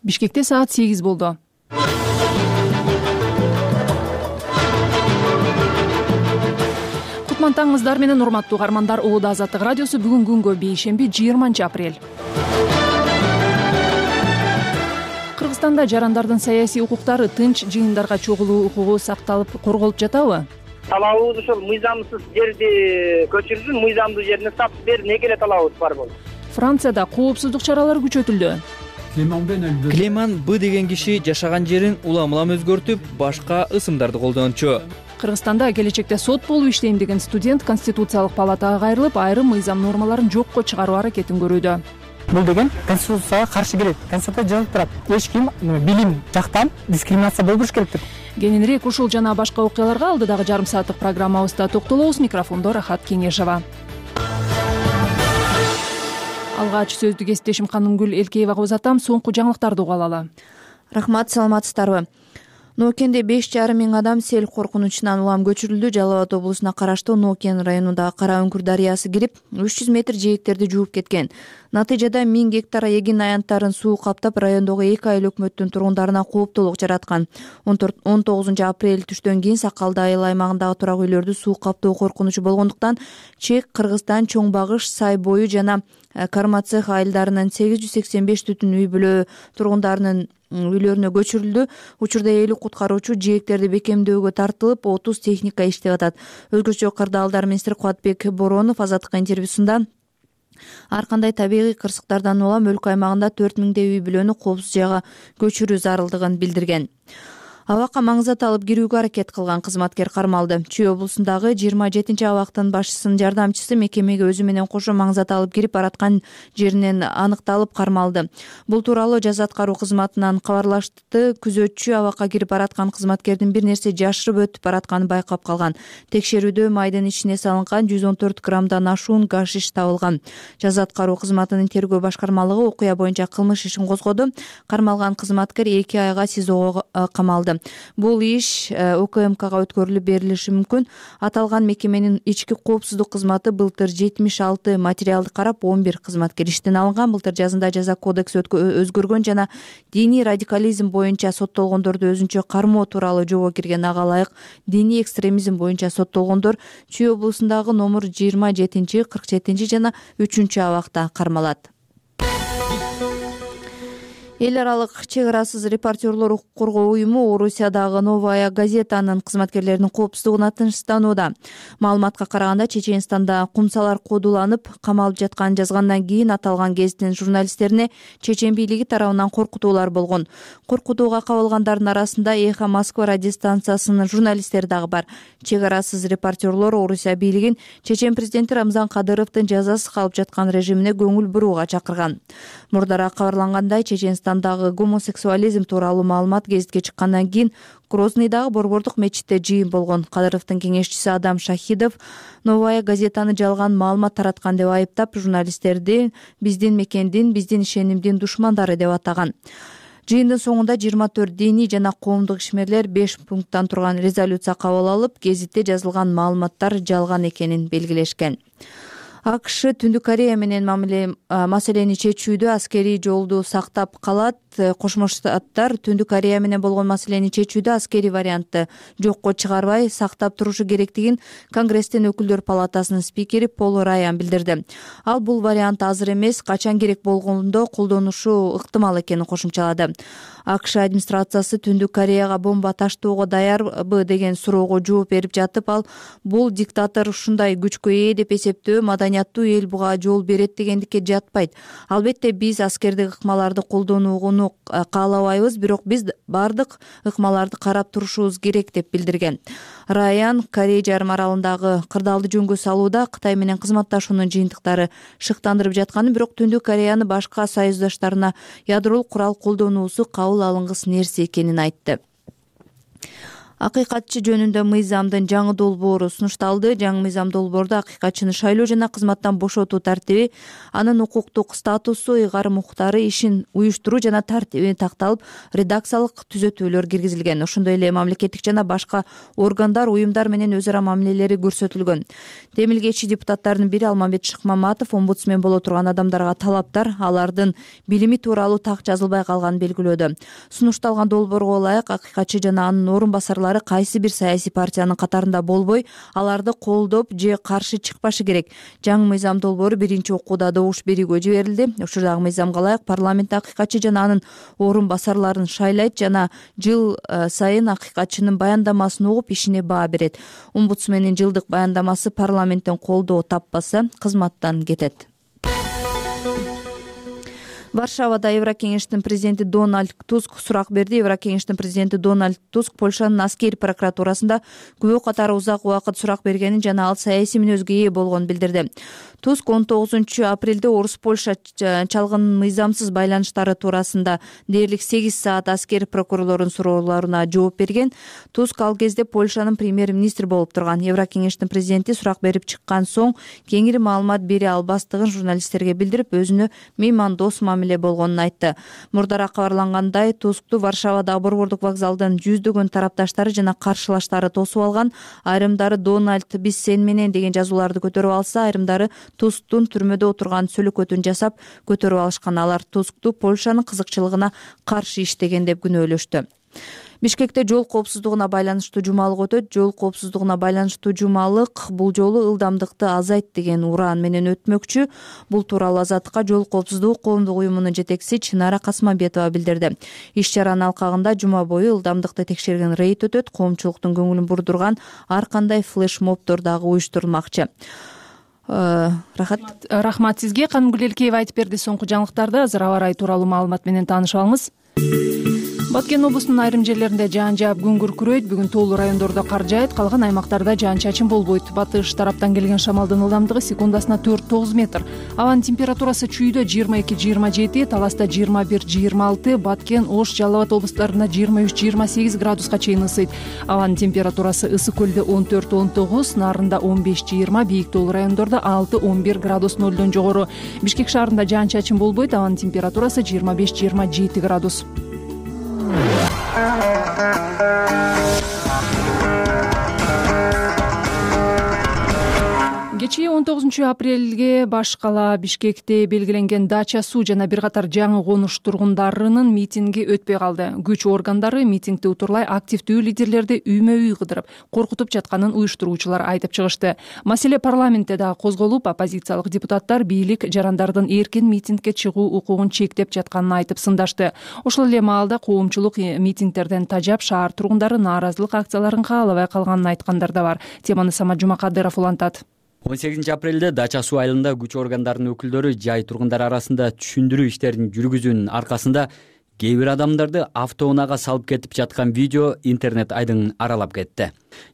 Бишкекте саат 8 болду. Кутман таңыңыздар менен урматтуу угармандар. Улуу Азаттык радиосу бүгүн күнгө бейшемби 20 апрель. Кыргызстанда жарандардын саясий укуктары, тынч жыйындарга чогулуу укугу сакталып, корголуп жатабы? Талабыбыз ошол мыйзамсыз жерди көчүрсүн, мыйзамдуу жерине сап бер, неге эле талабыбыз бар болду. Францияда коопсуздук чаралары күчөтүлдү. Клеман Б деген киши жашаган жерин улам-улам өзгөртүп, башка ысымдарды колдончу. Кыргызстанда келечекте сот болуп иштейм деген студент Конституциялык палатага кайрылып, айрым мыйзам нормаларын жокко чыгаруу аракетин көрүүдө. Бул деген Конституцияга каршы келет. Конституция жазылып турат. Эч ким билим жактан дискриминация болбош керек деп. Кененирээк ушул жана башка окуяларга алдыдагы жарым сааттык программабызда токтолобуз. Микрофондо Рахат Кеңешова. Алгач сөздү кесиптешим Канымгүл Элкеевага узатам. Соңку жаңылыктарды угуп алалы. Рахмат, саламатсыздарбы? Ноокенде 5,5 миң адам сел коркунучунан улам көчүрүлдү. Жалал Абад облусуна караштуу Ноокен районундагы Кара Үңкүр дарыясы кирип, 300 метр жээктерди жууп кеткен. Натыйжада 1000 гектар эгин аянттарын суу каптап, райондогу 2 айыл өкмөттүн тургундарына кооптуулук жараткан. 19 апрель түштөн кийин Сакалды айыл аймагындагы турак үйлөрдү суу каптоо коркунучу болгондуктан Чек, Кыргызстан, Чоң Багыш, Сай бою жана Кармацех айылдарынын 885 түтүн үй бүлө тургундарынын үйлөрүнө көчүрүлдү. Учурда 50 куткаруучу жээктерди бекемдөөгө тартылып, 30 техника иштеп атат. Өзгөчө Кырдаалдар министри Кубатбек Боронов Азаттыкка интервьюсунда ар кандай табигый кырсыктардан улам өлкө аймагында 4000 үй бүлөнү коопсуз жайга көчүрүү зарылдыгын билдирген. Абакка маңзат алып кирүүгө аракет кылган кызматкер кармалды. Чүй облусундагы 27-абактын башчысынын жардамчысы мекемеге өзү менен кошо маңзат алып кирип бараткан жеринен аныкталып кармалды. Бул тууралуу жаза аткаруу кызматынан кабарлашты. Күзөтчү абакка кирип бараткан кызматкердин бир нерсе жашырып өтүп баратканын байкап калган. Текшерүүдө майдын ичине салынган 114 граммдан ашуун гашиш табылган. Жаза аткаруу кызматынын тергөө башкармалыгы окуя боюнча кылмыш ишин козгоду. Кармалган кызматкер 2 айга СИЗОго камалды. Бул иш ОКМКга өткөрүлүп берилиши мүмкүн. Аталган мекеменин ички коопсуздук кызматы былтыр 76 материалды карап, 11 кызматкер иштен алынган. Былтыр жазында жаза кодекси өзгөргөн жана диний радикализм боюнча соттолгондорду өзүнчө кармоо тууралуу жобо кирген. Ага ылайык диний экстремизм боюнча соттолгондор Чүй облусундагы номер 27, 47 жана 3 абакта кармалат. Эл аралык чек арасыз репортерлор укук коргоо уюму Орусиядагы Новая газетанын кызматкерлеринин коопсуздугуна тынчсызданууда. Маалыматка караганда, Чеченстанда кумсалар кодуланып, камалып жатканын жазгандан кийин аталган гезиттин журналисттерине чечен бийлиги тарабынан коркутуулар болгон. Коркутууга кабылгандардын арасында Эхо Москва радиостанциясынын журналисттери дагы бар. Чек арасыз репортерлор Орусия бийлигин Чечен президенти Рамзан Кадыровдун жазасыз калып жаткан режимине көңүл бурууга чакырган. Мурдара кабарлангандай, Чеченстандагы гомосексуализм тууралуу маалымат гезитке чыккандан кийин Грознойдагы борбордук мечитте жыйын болгон. Кадыровдун кеңешчиси Адам Шахидов Новая газетаны жалган маалымат тараткан деп айыптап, журналисттерди биздин мекендин, биздин ишенимдин душмандары деп атаган. Жыйындын соңунда 24 диний жана коомдук ишмерлер 5 пункттан турган резолюция кабыл алып, гезитте жазылган маалыматтар жалган экенин белгилешкен. АКШ Түндүк Корея менен маселени чечүүдө аскерий жолду сактап калат. Кошмо Штаттар Түндүк Корея менен болгон маселени чечүүдө аскерий вариантты жокко чыгарбай сактап турушу керектигин Конгресстин өкүлдөр палатасынын спикери Пол Раян билдирди. Ал бул вариант азыр эмес, качан керек болгондо колдонушу ыктымал экенин кошумчалады. АКШ администрациясы Түндүк Кореяга бомба таштоого даярбы деген суроого жооп берип жатып, ал бул диктатор ушундай күчкө ээ деп эсептөө маданияттуу эл буга жол берет дегендикке жатпайт. Албетте биз аскердик ыкмаларды колдонууну каалабайбыз, бирок биз бардык ыкмаларды карап турушубуз керек деп билдирген. Раян Корей жарым аралындагы кырдаалды жөнгө салууда Кытай менен кызматташуунун жыйынтыктары шыктандырып жатканын, бирок Түндүк Кореяны башка союздаштарына ядролук курал колдонуусу кабыл алынгыс нерсе экенин айтты. Акыйкатчы жөнүндө мыйзамдын жаңы долбоору сунушталды. Жаңы мыйзам долбоордо акыйкатчыны шайлоо жана кызматтан бошотуу тартиби, анын укуктук статусу, ыйгарым укуктары, ишин уюштуруу жана тартиби такталып, редакциялык түзөтүүлөр киргизилген. Ошондой эле мамлекеттик жана башка органдар, уюмдар менен өз ара мамилелери көрсөтүлгөн. Демилгечи депутаттардын бири Алмамбет Шыкмаматов омбудсмен боло турган адамдарга талаптар алардын билими тууралуу так жазылбай калганын белгилөөдө. Сунушталган долбоорго ылайык акыйкатчы жана анын орун басарлары кайсы бир саясий партиянын катарында болбой, аларды колдоп же каршы чыкпашы керек. Жаңы мыйзам долбоору биринчи окууда добуш берүүгө жиберилди. Ушурдагы мыйзамга ылайык парламент акыйкатчы жана анын орун басарларын шайлайт жана жыл сайын акыйкатчынын баяндамасын угуп ишине баа берет. Омбудсмендин жылдык баяндамасы парламенттен колдоо таппаса, кызматтан кетет. Варшавада Еврокеңештин президенти Дональд Туск сурак берди. Еврокеңештин президенти Дональд Туск Польшанын аскери прокуратурасында күбө катары узак убакыт сурак бергенин жана ал саясий мүнөзгө ээ болгонун билдирди. Туск 19 апрелде Орус-Польша чалгын мыйзамсыз байланыштары туурасында дээрлик 8 саат аскери прокурорлордун суроолоруна жооп берген. Туск ал кезде Польшанын премьер-министри болуп турган. Еврокеңештин президенти сурак берип чыккан соң кеңири маалымат бере албастыгын журналисттерге билдирип, өзүнө меймандос мамиле болгонун айтты. Мурдараак кабарлангандай, Тускту Варшавада борбордук вокзалдын жүздөгөн тарапташтары жана каршылаштары тосуп алган. Айрымдары "Дональд, биз сен менен" деген жазууларды көтөрүп алса, айрымдары Тусктун түрмөдө отурган сөлөкөтүн жасап көтөрүп алышкан. Алар Тускту Польшанын кызыкчылыгына каршы иштеген деп күнөөлөштү. Бишкекте жол коопсуздугуна байланыштуу жумалык өтөт. Жол коопсуздугуна байланыштуу жумалык бул жолу ылдамдыкты азайт деген ураан менен өтмөкчү. Бул тууралуу Азаттыкка жол коопсуздугу коомдук уюмунун жетекчиси Чынара Касмамбетова билдирди. Иш-чаранын алкагында жума бою ылдамдыкты текшерген рейд өтөт. Коомчулуктун көңүлүн бурдурган ар кандай флеш-мобдор дагы уюштурулмакчы. Рахмат сизге. Канымгүл Элкеева айтып берди соңку жаңылыктарды. Азыр аба ырайы тууралуу маалымат менен таанышып алыңыз. Баткен облусунун айрым жерлеринде жаан жаап күн күркүрөйт. Бүгүн тоолуу райондордо кар жаайт, калган аймактарда жаан-чачын болбойт. Батыш тараптан келген шамалдын ылдамдыгы секундасына 4-9 метр. Абанын температурасы Чүйдө 22-27, Таласта 21-26, Баткен, Ош, Жалал Абад облустарында 23-28 градуска чейин ысыйт. Абанын температурасы Ысык көлдө 14-19, Нарында 15-20, бийик тоолуу райондордо 6-11 градус нөлдөн жогору. Бишкек шаарында жаан-чачын болбойт. Абанын температурасы 25-27 градус. Кечээ 19 апрелге баш кала Бишкекте белгиленген Дача суу жана бир катар жаңы конуш тургундарынын митинги өтпөй калды. Күч органдары митингди утурлай активдүү лидерлерди үймө-үй кыдырып, коркутуп жатканын уюштуруучулар айтып чыгышты. Маселе парламентте дагы козголуп, оппозициялык депутаттар бийлик жарандардын эркин митингге чыгуу укугун чектеп жатканын айтып сындашты. Ошол эле маалда коомчулук митингдерден тажап, шаар тургундары нааразылык акцияларын каалабай калганын айткандар да бар. Теманы Самат Жумакадыров улантат. 18 апрелде Дача суу айылында күч органдарынын өкүлдөрү жай тургундар арасында түшүндүрүү иштерин жүргүзүүнүн аркасында кээ бир адамдарды автоунаага салып кетип жаткан видео интернет айдыңын аралап кетти.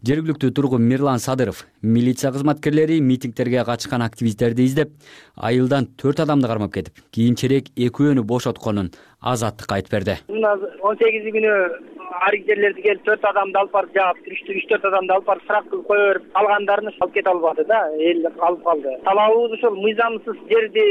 Жергиликтүү тургун Мирлан Садыров милиция кызматкерлери митингтерге катышкан активисттерди издеп, айылдан 4 адамды кармап кетип, кийинчерээк экөөнү бошотконун Азаттыкка айтып берди. 18 күнү арик жерлерди келип 4 адамды алып барып жаап, 3-4 адамды алып барып сырак кылып кое берип, калгандарын алып кете албады да, эл алып калды. Талабыбыз ошол мыйзамсыз жерди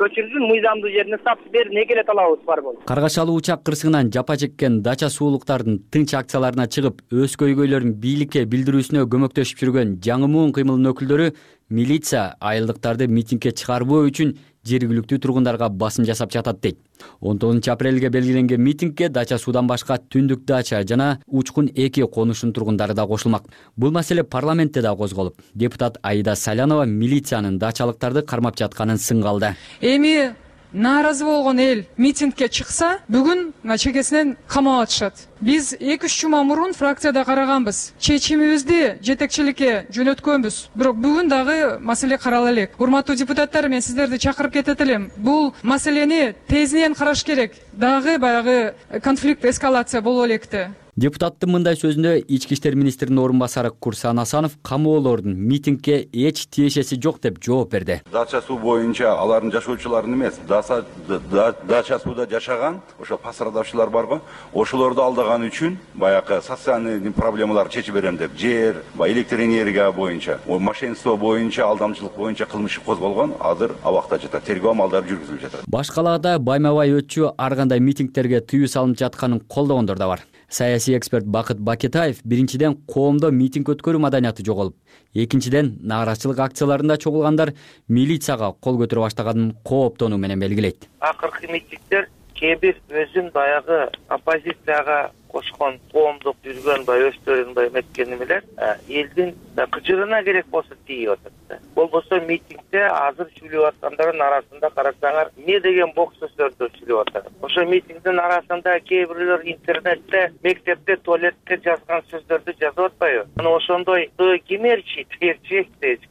көчүрсүн, мыйзамдуу жерине статус берин, экеле талабыбыз бар болду. Каргашалуу учак кырсыгынан жапа чеккен Дача суулуктардын тынч акцияларына чыгып, өз көйгөйлөрүн бийликке билдирүүсүнө көмөктөшүп жүргөн жаңы муун кыймылынын өкүлдөрү милиция айылдыктарды митингге чыгарбоо үчүн жергиликтүү тургундарга басым жасап жатат дейт. 19 апрелге белгиленген митингге Дача суудан башка Түндүк Дача жана Учкун 2 конушунун тургундары да кошулмак. Бул маселе парламентте да козголуп, депутат Аида Салянова милициянын дачалыктарды кармап жатканын сынга алды. Эми нааразы болгон эл митингге чыкса, бүгүн чекесинен камап атышат. Биз 2-3 жума мурун фракцияда караганбыз. Чечимибизди жетекчиликке жөнөткөнбүз. Бирок бүгүн дагы маселе карала элек. Урматтуу депутаттар, мен сиздерди чакырып кетет элем. Бул маселени тезинен караш керек. Дагы баягы конфликт эскалация боло электи. Депутаттын мындай сөзүндө ички иштер министринин орун басары Курсан Асанов камоолордун митингге эч тиешеси жок деп жооп берди. Дача суу боюнча алардын жашоочуларын эмес, дача сууда жашаган ошо пострадавчылар барбы, ошолорду алдаган үчүн баягы социальный проблемаларды чечип берем деп жер, электр энергия боюнча, мошенничество боюнча, алдамчылык боюнча кылмыш козголгон, азыр абакта жатат. Тергөө амалдары жүргүзүлүп жатат. Баш калаада байма-бай өтчү ар кандай митингтерге тыюу салынып жатканын колдогондор да бар. Саясий эксперт Бакыт Бакетаев биринчиден коомдо митинг өткөрүү маданияты жоголуп, экинчиден нааразычылык акцияларында чогулгандар милицияга кол көтөрө баштаганын кооптонуу менен белгилейт. Акыркы митингдер кээ бир өзүн баягы оппозицияга кошкон коомдук жүргөн өстөрүн меткен эмелер элдин кыжырына керек болсо тийип атат. Болбосо митингде азыр сүйлөп аткандардын арасында карасаңар эмне деген бок сөздөрдү сүйлөп атат. Ошо митингдин арасында кээ бирлер интернетте, мектепте, туалетте жазган сөздөрдү жазып атпайбы? Мына ошондой кемерчи, терчи.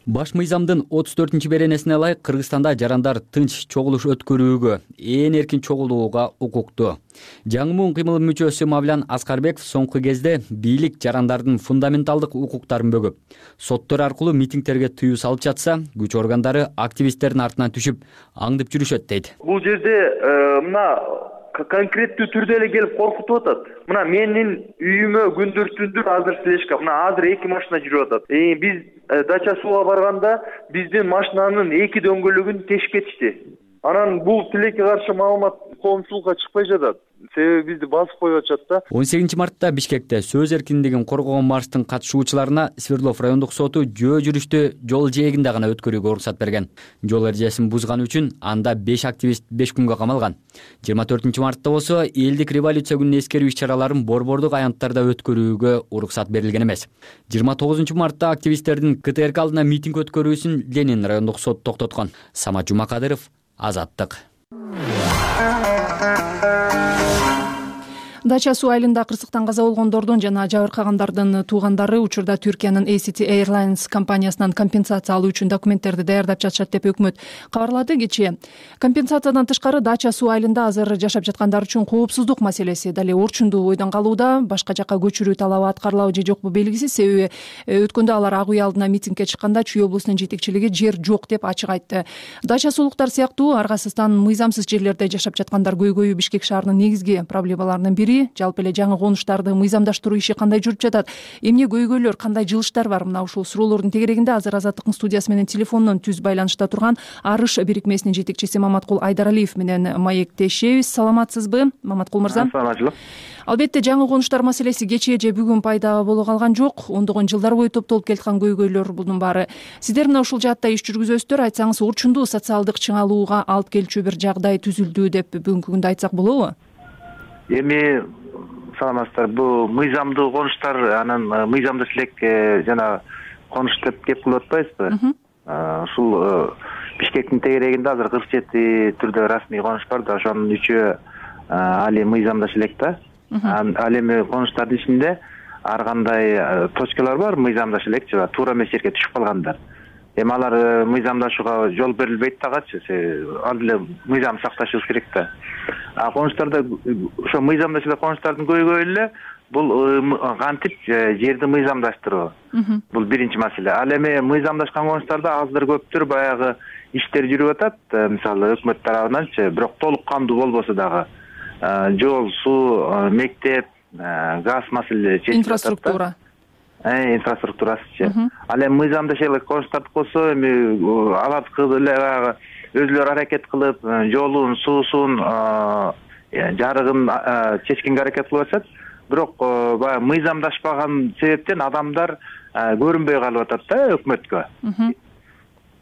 Баш мыйзамдын 34 беренесине ылайык Кыргызстанда жарандар тынч чогулуш өткөрүүгө, ээн эркин чогулууга укуктуу. Жаңы муун кыймыл мүчөсү Мавлян Аскарбеков соңку кезде бийлик жарандардын фундаменталдык укуктарын бөгөп, соттор аркылуу митингтерге тыюу салып жатса, күч органдары активисттердин артынан түшүп, аңдып жүрүшөт дейт. Бул жерде мына конкреттүү түрдө эле келип коркутуп атат. Мына менин үйүмө күндүр-түндүр азыр слежка, мына азыр 2 машина жүрүп атат. Биз дача сууга барганда биздин машинанын 2 дөңгөлөгүн тешип кетишти. Анан бул тилекке каршы маалымат коомчулукка чыкпай жатат. Себеби бизди басып коюп атышат да. 18 мартта Бишкекте сөз эркиндигин коргогон марштын катышуучуларына Свердлов райондук соту жөө жүрүштү жол жээгинде гана өткөрүүгө уруксат берген. Жол эрежесин бузганы үчүн анда 5 активист 5 күнгө камалган. 24 мартта болсо элдик революция күнүнө эскерүү иш-чараларын борбордук аянттарда өткөрүүгө уруксат берилген эмес. 29 мартта активисттердин КТРК алдына митинг өткөрүүсүн Ленин райондук сот токтоткон. Самат Жумакадыров, Азаттык. Дача суу айылында кырсыктан каза болгондордун жана жабыркагандардын туугандары учурда Түркиянын ACT Airlines компаниясынан компенсация алуу үчүн документтерди даярдап жатышат деп өкмөт кабарлады кечээ. Компенсациядан тышкары Дача суу айылында азыр жашап жаткандар үчүн коопсуздук маселеси дале орчундуу ойдон калууда. Башка жакка көчүрүү талабы аткарылабы же жокпу белгисиз, себеби өткөндө алар Ак үй алдына митингге чыкканда Чүй облусунун жетекчилиги жер жок деп ачык айтты. Дача суулуктар сыяктуу аргасыздан мыйзамсыз жерлерде жашап жаткандар көйгөйү Бишкек шаарынын негизги проблемаларынын бири. Жалпы эле жаңы конуштарды мыйзамдаштыруу иши кандай жүрүп жатат? Эмне көйгөйлөр, кандай жылыштар бар? Мына ушул суроолордун тегерегинде азыр Азаттыктын студиясы менен телефондон түз байланышта турган Арыш бирикмесинин жетекчиси Маматкул Айдаралиев менен маектешебиз. Саламатсызбы, Маматкул мырза? Саламатчылык. Албетте жаңы конуштар маселеси кечээ же бүгүн пайда боло калган жок. Ондогон жылдар бою топтолуп келаткан көйгөйлөр бунун баары. Сиздер мына ушул жаатта иш жүргүзөсүздөр, айтсаңыз орчундуу социалдык чыңалууга алып келчү бир жагдай түзүлдү деп бүгүнкү күндө айтсак болобу? Эми саламатсыздар, бул мыйзамдуу конуштар, анан мыйзамдуу силек жана конуш деп кеп кылып атпайбызбы? Ушул Бишкектин тегерегинде азыр 47 түрдө расмий конуш бар да, ошонун 3-өө али мыйзамдаш элек да. Ал эми конуштардын ичинде ар кандай точкалар бар, мыйзамдаш элек же туура эмес жерге түшүп калгандар. Эми алар мыйзамдашууга жол берилбейт дагычы, ал эле мыйзам сакташыбыз керек да. Конуштарда ошо мыйзамдашылар конуштардын көйгөйү эле бул кантип жерди мыйзамдаштыруу. Бул биринчи маселе. Ал эми мыйзамдашкан конуштарда аздыр көптүр баягы иштер жүрүп атат, мисалы өкмөт тарабынанчы, бирок толук кандуу болбосо дагы жол, суу, мектеп, газ маселелери инфраструктура. Инфраструктурасычы. Ал эми мыйзамдашылык конуштарды болсо эми алардыкы эле баягы өзүлөрү аракет кылып, жолун, суусун, жарыгын чечкенге аракет кылып атышат. Бирок баягы мыйзамдашпаган себептен адамдар көрүнбөй калып атат да өкмөткө.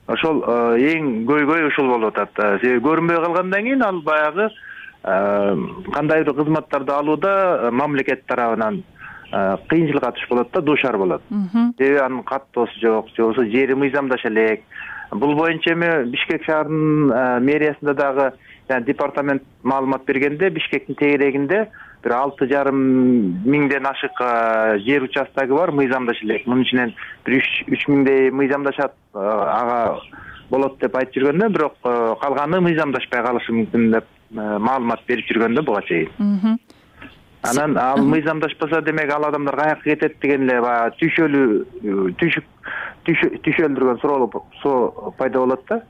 Ошол эң көйгөй ушул болуп атат. Себеби көрүнбөй калгандан кийин ал баягы кандайдыр кызматтарды алууда мамлекет тарабынан кыйынчылыкка туш болот да, дуушар болот. Себеби анын каттоосу жок, же болбосо жери мыйзамдаша элек. Бул боюнча эми Бишкек шаарынын мэриясында дагы департамент маалымат бергенде Бишкектин тегерегинде бир 6,5 миңден ашык жер участогу бар, мыйзамдаша элек. Мунун ичинен бир 3 миңдей мыйзамдашат, ага болот деп айтып жүргөндө, бирок калганы мыйзамдашпай калышы мүмкүн деп маалымат берип жүргөндө буга чейин. Анан ал мыйзамдашпаса, демек ал адамдар каяка кетет деген эле баягы түйшөлдүргөн суроо пайда болот да.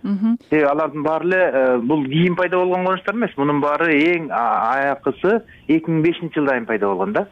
Алардын баары эле бул кийин пайда болгон конуштар эмес. Мунун баары эң аякысы 2005-жылдан кийин пайда болгон да.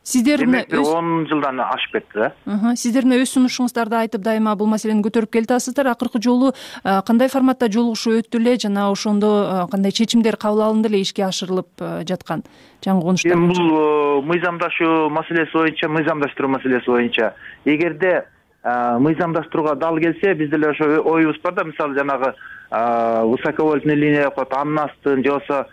Сиздер 10 жылдан ашып кетти да. Сиздер өз сунушуңуздарды айтып дайыма бул маселени көтөрүп келатасыздар. Акыркы жолу кандай форматта жолугушуу өттү эле жана ошондо кандай чечимдер кабыл алынды эле, ишке ашырылып жаткан жаңы конуштар? Бул мыйзамдашуу маселеси боюнча, мыйзамдаштыруу маселеси боюнча, эгерде мыйзамдаштырууга дал келсе, бизде эле ошо оюбуз бар да, мисалы жанагы высоковольтный линия коет, анын астын же болбосо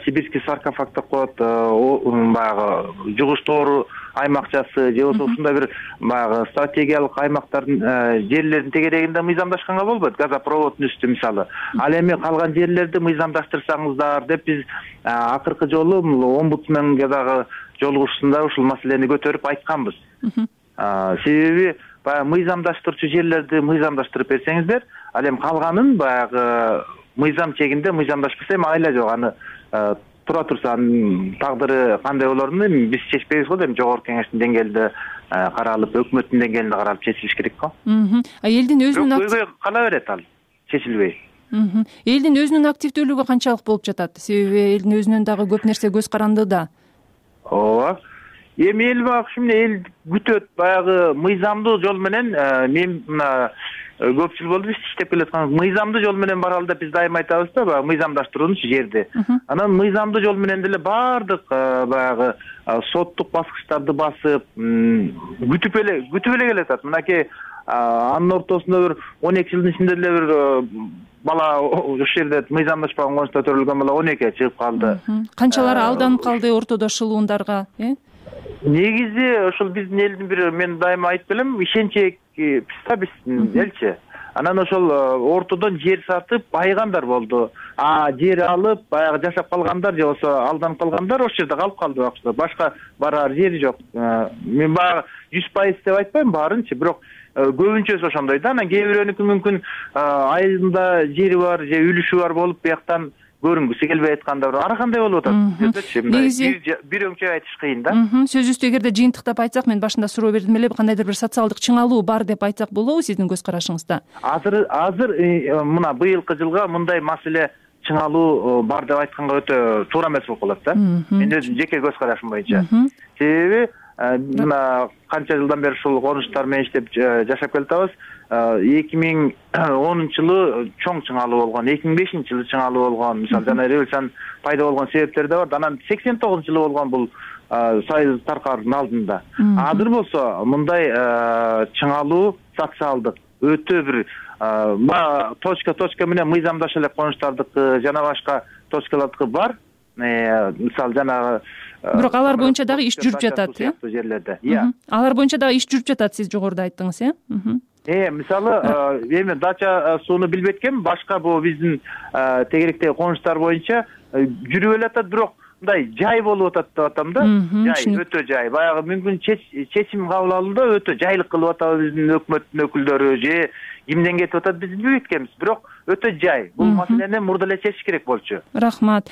сибирский саркофаг деп коет, баягы жугуштоору аймакчасы же болбосо ушундай бир баягы стратегиялык аймактардын жерлердин тегерегинде мыйзамдашканга болбойт. Газопроводдун үстү мисалы. Ал эми калган жерлерди мыйзамдаштырсаңыздар деп биз акыркы жолу омбудсменге дагы жолугушуусунда ушул маселени көтөрүп айтканбыз. Себеби баягы мыйзамдаштырчу жерлерди мыйзамдаштырып берсеңиздер, ал эми калганын баягы мыйзам чегинде мыйзамдашпаса эми айла жок, аны тура турса анын тагдыры кандай болоруну эми биз чечпейбиз го, эми жогорку кеңештин деңгээлинде каралып, өкмөттүн деңгээлинде каралып чечилиш керек го. Элдин өзүнүн көйгөй кала берет ал чечилбей. Элдин өзүнүн активдүүлүгү канчалык болуп жатат? Себеби элдин өзүнөн дагы көп нерсе көз каранды да. Ооба. Эми эл багыш эмне эл күтөт, баягы мыйзамдуу жол менен мен мына көп жыл болду биз иштеп келаткан. Мыйзамдуу жол менен баралы деп биз дайыма айтабыз да, баягы мыйзамдаштыруунчу жерди. Анан мыйзамдуу жол менен деле баардык баягы соттук баскычтарды басып, күтүп эле келатат. Мынакей анын ортосунда бир 12 жылдын ичинде деле бир бала ошол жерде мыйзамдашпаган конушта төрөлгөн бала 12-ге чыгып калды. Канчалары алданып калды ортодо шылуундарга, Негизи ошол биздин элдин бир, мен дайыма айтып келем, ишенчек биздин элчи. Анан ошол ортодон жер сатып байыгандар болду. Жер алып баягы жашап калгандар же болбосо алданып калгандар ошол жерде калып калды убакытта. Башка барар жери жок. Мен баягы 100% деп айтпайм баарынчы, бирок көбүнчөсү ошондой да. Анан кээ бирөөнүкү мүмкүн айылында жери бар же үлүшү бар болуп бияктан көрүнгүсү келбей аткандар ар кандай болуп атат. Бир өңчөй айтыш кыйын да. Сөзүбүздү эгерде жыйынтыктап айтсак, мен башында суроо бердим эле, кандайдыр бир социалдык чыңалуу бар деп айтсак болобу сиздин көз карашыңызда? Азыр мына быйылкы жылга мындай маселе чыңалуу бар деп айтканга өтө туура эмес болуп калат да. Мен өзүм жеке көз карашым боюнча. Себеби мына канча жылдан бери ушул конуштар менен иштеп жашап келатабыз. 2010-жылы чоң чыңалуу болгон, 2005-жылы чыңалуу болгон, мисалы жана революциянын пайда болгон себептери да бар. Анан 89-жылы болгон бул союз таркаардын алдында. Азыр болсо мындай чыңалуу социалдык өтө бир точка менен мыйзамдаша элек конуштардыкы жана башка точкалардыкы бар. Мисалы жанагы бирок алар боюнча дагы иш жүрүп жатат, жерлерде. Алар боюнча дагы иш жүрүп жатат, сиз жогоруда айттыңыз, мисалы эми дача сууну билбеткем, башка бул биздин тегеректеги конуштар боюнча жүрүп элатат, бирок мындай жай болуп атат деп атам да. Жай, өтө жай. Баягы мүмкүн чечим кабыл алууда өтө жайлык кылып атабыз биздин өкмөттүн өкүлдөрү же кимден кетип атат биз билбей эткенбиз, бирок өтө жай. Бул маселени мурда эле чечиш керек болчу. Рахмат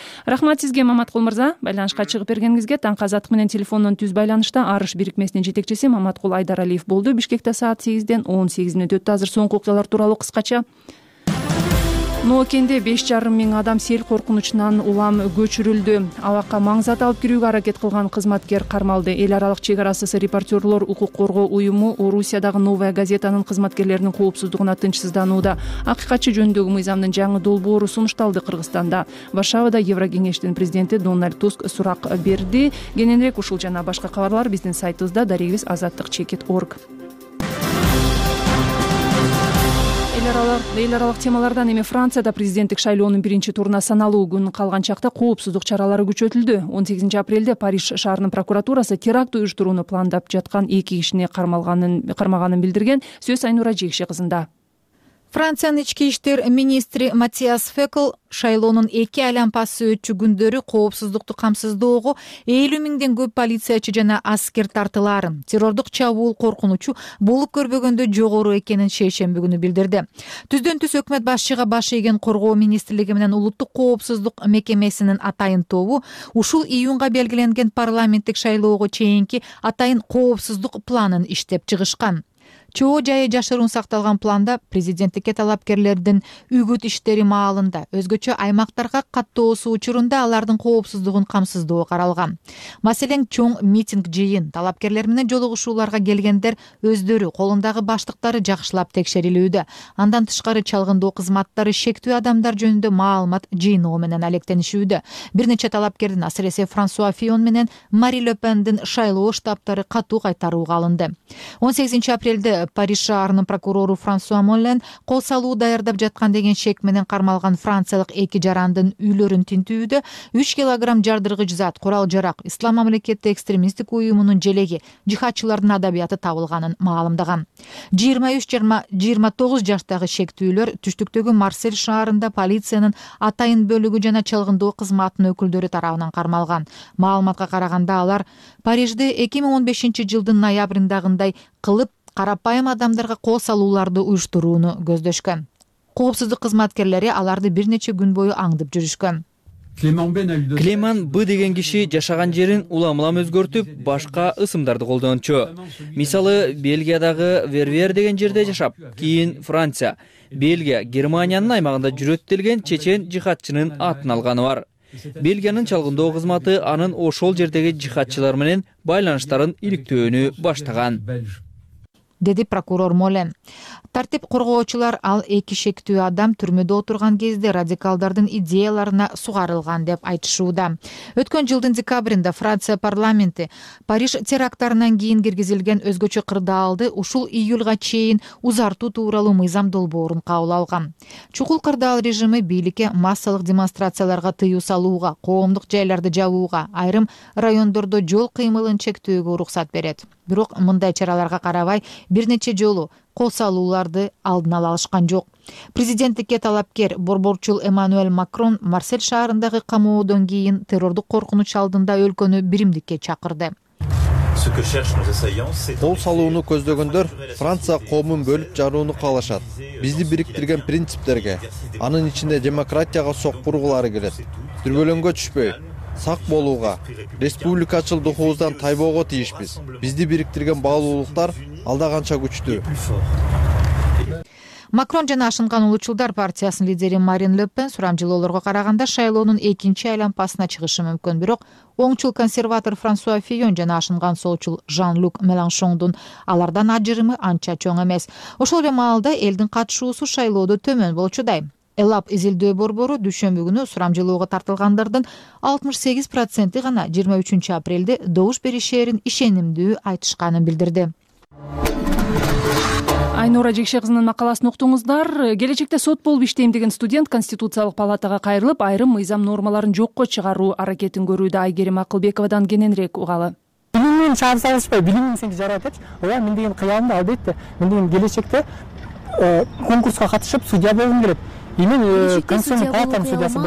сизге Маматкул мырза, байланышка чыгып бергениңизге. Таңкы азаттык менен телефондон түз байланышта Арыш бирикмесинин жетекчиси Маматкул Айдаралиев болду. Бишкекте саат 8-ден 18 мүнөт өттү. Азыр соңку окуялар тууралуу кыскача. Ноокенде 5,5 миң адам сел коркунучунан улам көчүрүлдү. Абакка маң зат алып кирүүгө аракет кылган кызматкер кармалды. Эл аралык чек арасыз репортерлор укук коргоо уюму Орусиядагы Новая газетанын кызматкерлеринин коопсуздугуна тынчсызданууда. Акыйкатчы жөнүндөгү мыйзамдын жаңы долбоору сунушталды Кыргызстанда. Варшавада Еврокеңештин президенти Дональд Туск сурак берди. Кененирээк ушул жана башка кабарлар биздин сайтыбызда darigibis.azаттык.org. Эл аралык темалардан эми Францияда президенттик шайлоонун биринчи туруна саналуу күн калган чакта коопсуздук чаралары күчөтүлдү. 18 апрелде Париж шаарынын прокуратурасы теракт уюштурууну пландап жаткан 2 кишини кармаганын билдирген. Сөз Айнура Жекши кызында. Франциянын ички иштер министри Матиас Фекл шайлоонун 2 айланпасы өтчү күндөрү коопсуздукту камсыздоого 50 миңден көп полициячы жана аскер тартылаарын, террордук чабуул коркунучу болуп көрбөгөндө жогору экенин шейшемби күнү билдирди. Түздөн түз өкмөт башчыга баш ийген коргоо министрлиги менен улуттук коопсуздук мекемесинин атайын тобу ушул июнга белгиленген парламенттик шайлоого чейинки атайын коопсуздук планын иштеп чыгышкан. Чоо жайы жашыруун сакталган планда президенттикке талапкерлердин үгүт иштери маалында өзгөчө аймактарга каттоосу учурунда алардын коопсуздугун камсыздоо каралган. Маселен, чоң митинг, жыйын, талапкерлер менен жолугушууларга келгендер өздөрү колундагы баштыктары жакшылап текшерилүүдө. Андан тышкары чалгындоо кызматтары шектүү адамдар жөнүндө маалымат жыйноо менен алектенишүүдө. Бир нече талапкердин, асыресе Франсуа Фион менен Мари Ле Пендин шайлоо штабтары катуу кайтарууга алынды. 18 апрелде Париж шаарынын прокурору Франсуа Моллен кол салуу даярдап жаткан деген шек менен кармалган франциялык 2 жарандын үйлөрүн тинтүүдө 3 килограмм жардыргыч зат, курал-жарак, Ислам мамлекети экстремисттик уюмунун желеги, жихадчылардын адабияты табылганын маалымдаган. 23-29 жаштагы шектүүлөр түштүктөгү Марсель шаарында полициянын атайын бөлүгү жана чалгындоо кызматынын өкүлдөрү тарабынан кармалган. Маалыматка караганда алар Парижде 2015 жылдын ноябрындагындай кылып карапайым адамдарга кол салууларды уюштурууну көздөшкөн. Коопсуздук кызматкерлери аларды бир нече күн бою аңдып жүрүшкөн. Клеман Б деген киши жашаган жерин улам-улам өзгөртүп, башка ысымдарды колдончу. Мисалы, Бельгиядагы Вервер деген жерде жашап, кийин Франция, Бельгия, Германиянын аймагында жүрөт делген чечен жихадчынын атын алганы бар. Бельгиянын чалгындоо кызматы анын ошол жердеги жихадчылар менен байланыштарын иликтөөнү баштаган, деди прокурор Молен. Тартип коргоочулар ал 2 шектүү адам түрмөдө отурган кезде радикалдардын идеяларына сугарылган деп айтышууда. Өткөн жылдын декабрында Франция парламенти Париж теракттарынан кийин киргизилген өзгөчө кырдаалды ушул июлга чейин узартуу тууралуу мыйзам долбоорун кабыл алган. Чукул кырдаал режими бийликке массалык демонстрацияларга тыюу салууга, коомдук жайларды жабууга, айрым райондордо жол кыймылын чектөөгө уруксат берет. Бирок мындай чараларга карабай бир нече жолу кол салууларды алдын ала алышкан жок. Президенттикке талапкер борборчул Эммануэль Макрон Марсель шаарындагы камоодон кийин террордук коркунуч алдында өлкөнү биримдикке чакырды. Кол салууну көздөгөндөр Франция коомун бөлүп жарууну каалашат. Бизди бириктирген принциптерге, анын ичинде демократияга соккургулары келет. Дүрбөлөңгө түшпөй, сак болууга, республикачылдыгыбыздан тайбоого тийишпиз. Бизди бириктирген баалуулуктар алда канча күчтүү. Макрон жана Ашынган улуучулдар партиясынын лидери Марин Ле Пен сурамжылоолорго караганда шайлоонун 2 айланпасына чыгышы мүмкүн. Бирок оңчул консерватор Франсуа Фион жана Ашынган солчул Жан-Люк Меланшондун алардан ажырымы анча чоң эмес. Ошол эле маалда элдин катышуусу шайлоодо төмөн болчудай. Элап изилдөө борбору дүйшөмбү күнү сурамжылоого тартылгандардын 68% гана 23 апрелде добуш беришээрин ишенимдүү айтышканын билдирди. Айнура Жекше кызынын макаласын уктуңуздар. Келечекте сот болуп иштейм деген студент Конституциялык палатага кайрылып, айрым мыйзам нормаларын жокко чыгаруу аракетин көрүүдө. Айгерим Акылбековадан кененирээк угалы. Билимин шаар салышпай, билимин сен жаратып, ооба мен деген кыялымда албетте, мен деген келечекте конкурска катышып судья болгум келет. Судья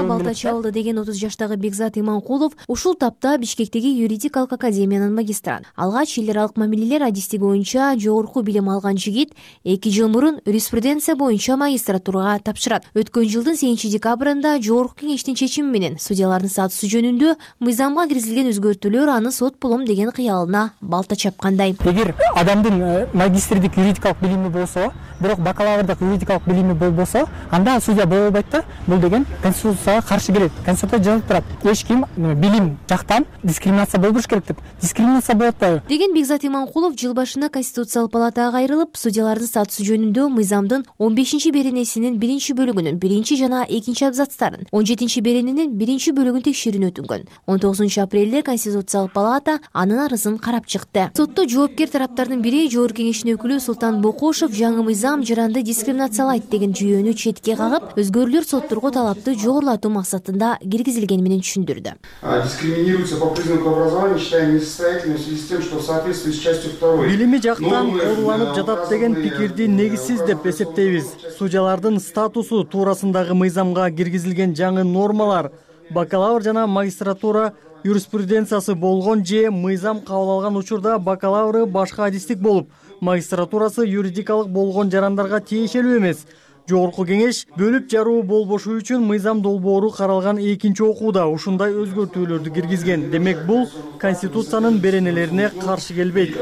балта чалды деген 30 жаштагы Бекзат Иманкулов ушул тапта Бишкектеги юридикалык академиянын магистрант. Алгач эл аралык мамилелер адистиги боюнча жогорку билим алган жигит 2 жыл мурун юриспруденция боюнча магистратурага тапшырат. Өткөн жылдын 8 декабрында жогорку кеңештин чечими менен судьялардын статусу жөнүндө мыйзамга киргизилген өзгөртүүлөр аны сот болом деген кыялына балта чапкандай. Эгер адамдын магистрдик юридикалык билими болсо, бирок бакалаврдык юридикалык билими болбосо, анда судья боло албайт да. Бул деген конституцияга каршы келет. Конституцияда жазылып турат. Эч ким билим жактан дискриминация болбош керек деп. Дискриминация болот да. Деген Бекзат Иманкулов жыл башында Конституциялык палатага кайрылып, судьялардын статусу жөнүндө мыйзамдын 15-беренесинин 1-бөлүгүнүн 1 жана 2 абзацтарын, 17-берененин 1-бөлүгүн текшерүүнү өтүнгөн. 19 апрелде Конституциялык палата анын арызын карап чыкты. Сотто жоопкер тараптардын бири жогорку кеңештин өкүлү Султан Бокошов жаңы мыйзам жаранды дискриминациялайт деген жүйөнү четке кагып, Өзгөрүүлөр сотторго талапты жогорулатуу максатында киргизилгени менен түшүндүрдү. Дискриминируется по признаку образования, считаем несостоятельным в связи с тем, что в соответствии с частью 2. Билими жактан ооруланып жатат деген пикирди негизсиз деп эсептейбиз. Судьялардын статусу туурасындагы мыйзамга киргизилген жаңы нормалар бакалавр жана магистратура юриспруденциясы болгон же мыйзам кабыл алган учурда бакалавры башка адистик болуп, магистратурасы юридикалык болгон жарандарга тиешелүү эмес. Жогорку кеңеш бөлүп жаруу болбошу үчүн мыйзам долбоору каралган экинчи окууда ушундай өзгөртүүлөрдү киргизген. Демек бул Конституциянын беренелерине каршы келбейт.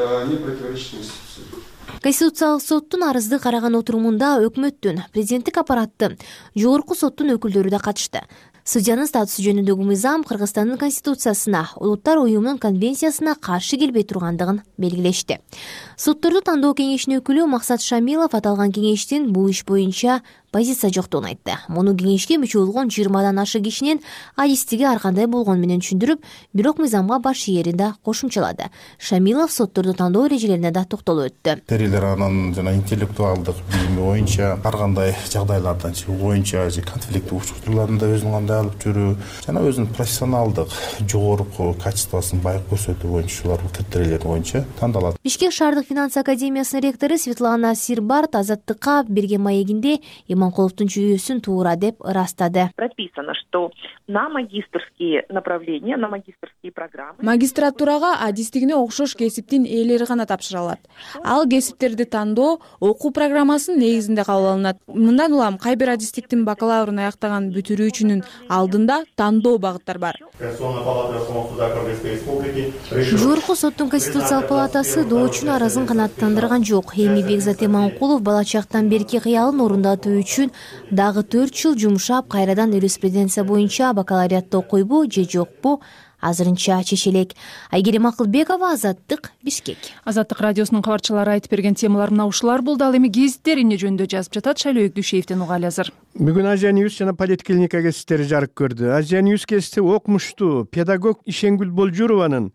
Конституциялык соттун арызды караган отурумунда өкмөттүн, президенттик аппараттын, жогорку соттун өкүлдөрү да катышты. Судьянын статусу жөнүндөгү мыйзам Кыргызстандын конституциясына, Улуттар уюмунун конвенциясына каршы келбей тургандыгын белгилешти. Сотторду тандоо кеңешинин өкүлү Максат Шамилов аталган кеңештин бул иш боюнча позиция жоктугун айтты. Муну кеңешке мүчө болгон 20дан ашык кишинин адистиги ар кандай болгону менен түшүндүрүп, бирок мыйзамга баш ийерин да кошумчалады. Шамилов сотторду тандоо эрежелерине да токтолуп өттү. Терилер анын жана интеллектуалдык билими боюнча ар кандай жагдайлардан чыгуу боюнча же конфликттик учурларында өзүн кандай алып жүрүү жана өзүнүн профессионалдык жогорку качествосун байып көрсөтүү боюнча ушулар критерийлер боюнча тандалат. Бишкек шаардык финанс академиясынын ректору Светлана Сирбарт Азаттыкка берген маегинде Иманкуловдун жүйөсүн туура деп ырастады. Прописано, что на магистрские направления, на магистрские программы магистратурага адистигине окшош кесиптин ээлери гана тапшыра алат. Ал кесиптерди тандоо окуу программасынын негизинде кабыл алынат. Мындан улам кай бир адистиктин бакалаврын аяктаган бүтүрүүчүнүн алдында тандоо багыттар бар. Жогорку соттун Конституциялык палатасы доочунун арызын канааттандырган жок. Эми Бекзат Иманкулов бала чактан берки кыялын орундатуу үчүн дагы 4 жыл жумшап, кайрадан юриспруденция боюнча бакалавриатты окуйбу же жокпу азырынча чечелек. Айгерим Акылбекова, Азаттык, Бишкек. Азаттык радиосунун кабарчылары айтып берген темалар мына ушулар болду. Ал эми гезиттер эмне жөнүндө жазып жатат? Шайлоо Дүйшеевден угалы азыр. Бүгүн Азия Ньюс жана Политклиника гезиттери жарык көрдү. Азия Ньюс гезити окумуштуу педагог Ишенгүл Болжурованын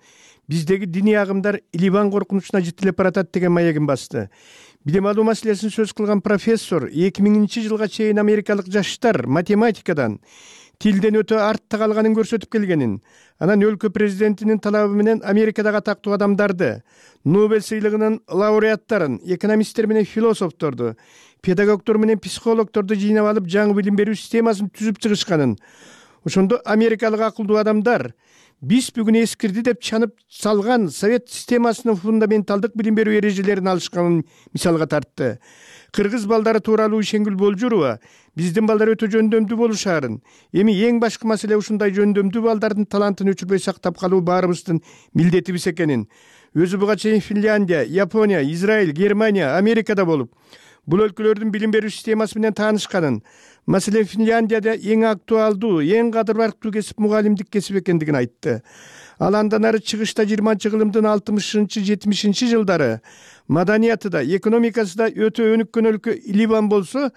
биздеги диний агымдар Ливан коркунучуна жетилип баратат деген маегин басты. Билим алуу маселесин сөз кылган профессор 2000-жылга чейин америкалык жаштар математикадан, тилден өтө артта калганын көрсөтүп келгенин, анан өлкө президентинин талабы менен Америкадагы атактуу адамдарды, Нобель сыйлыгынын лауреаттарын, экономисттер менен философторду, педагогдор менен психологдорду жыйнап алып жаңы билим берүү системасын түзүп чыгышканын, ошондо америкалык акылдуу адамдар биз бүгүн эскирди деп чанып салган совет системасынын фундаменталдык билим берүү эрежелерин алышканын мисалга тартты. Кыргыз балдары тууралуу Ишенгүл Болжурова биздин балдар өтө жөндөмдүү болушаарын, эми эң башкы маселе ушундай жөндөмдүү балдардын талантын өчүрбөй сактап калуу баарыбыздын милдетибиз экенин. Өзү буга чейин Финляндия, Япония, Израиль, Германия, Америкада болуп, бул өлкөлөрдүн билим берүү системасы менен таанышканын, маселен Финляндияда эң актуалдуу, эң кадыр барктуу кесип мугалимдик кесип экендигин айтты. Ал андан ары чыгышта 20-кылымдын 60-70 жылдары маданияты да, экономикасы да өтө өнүккөн өлкө Ливан болсо,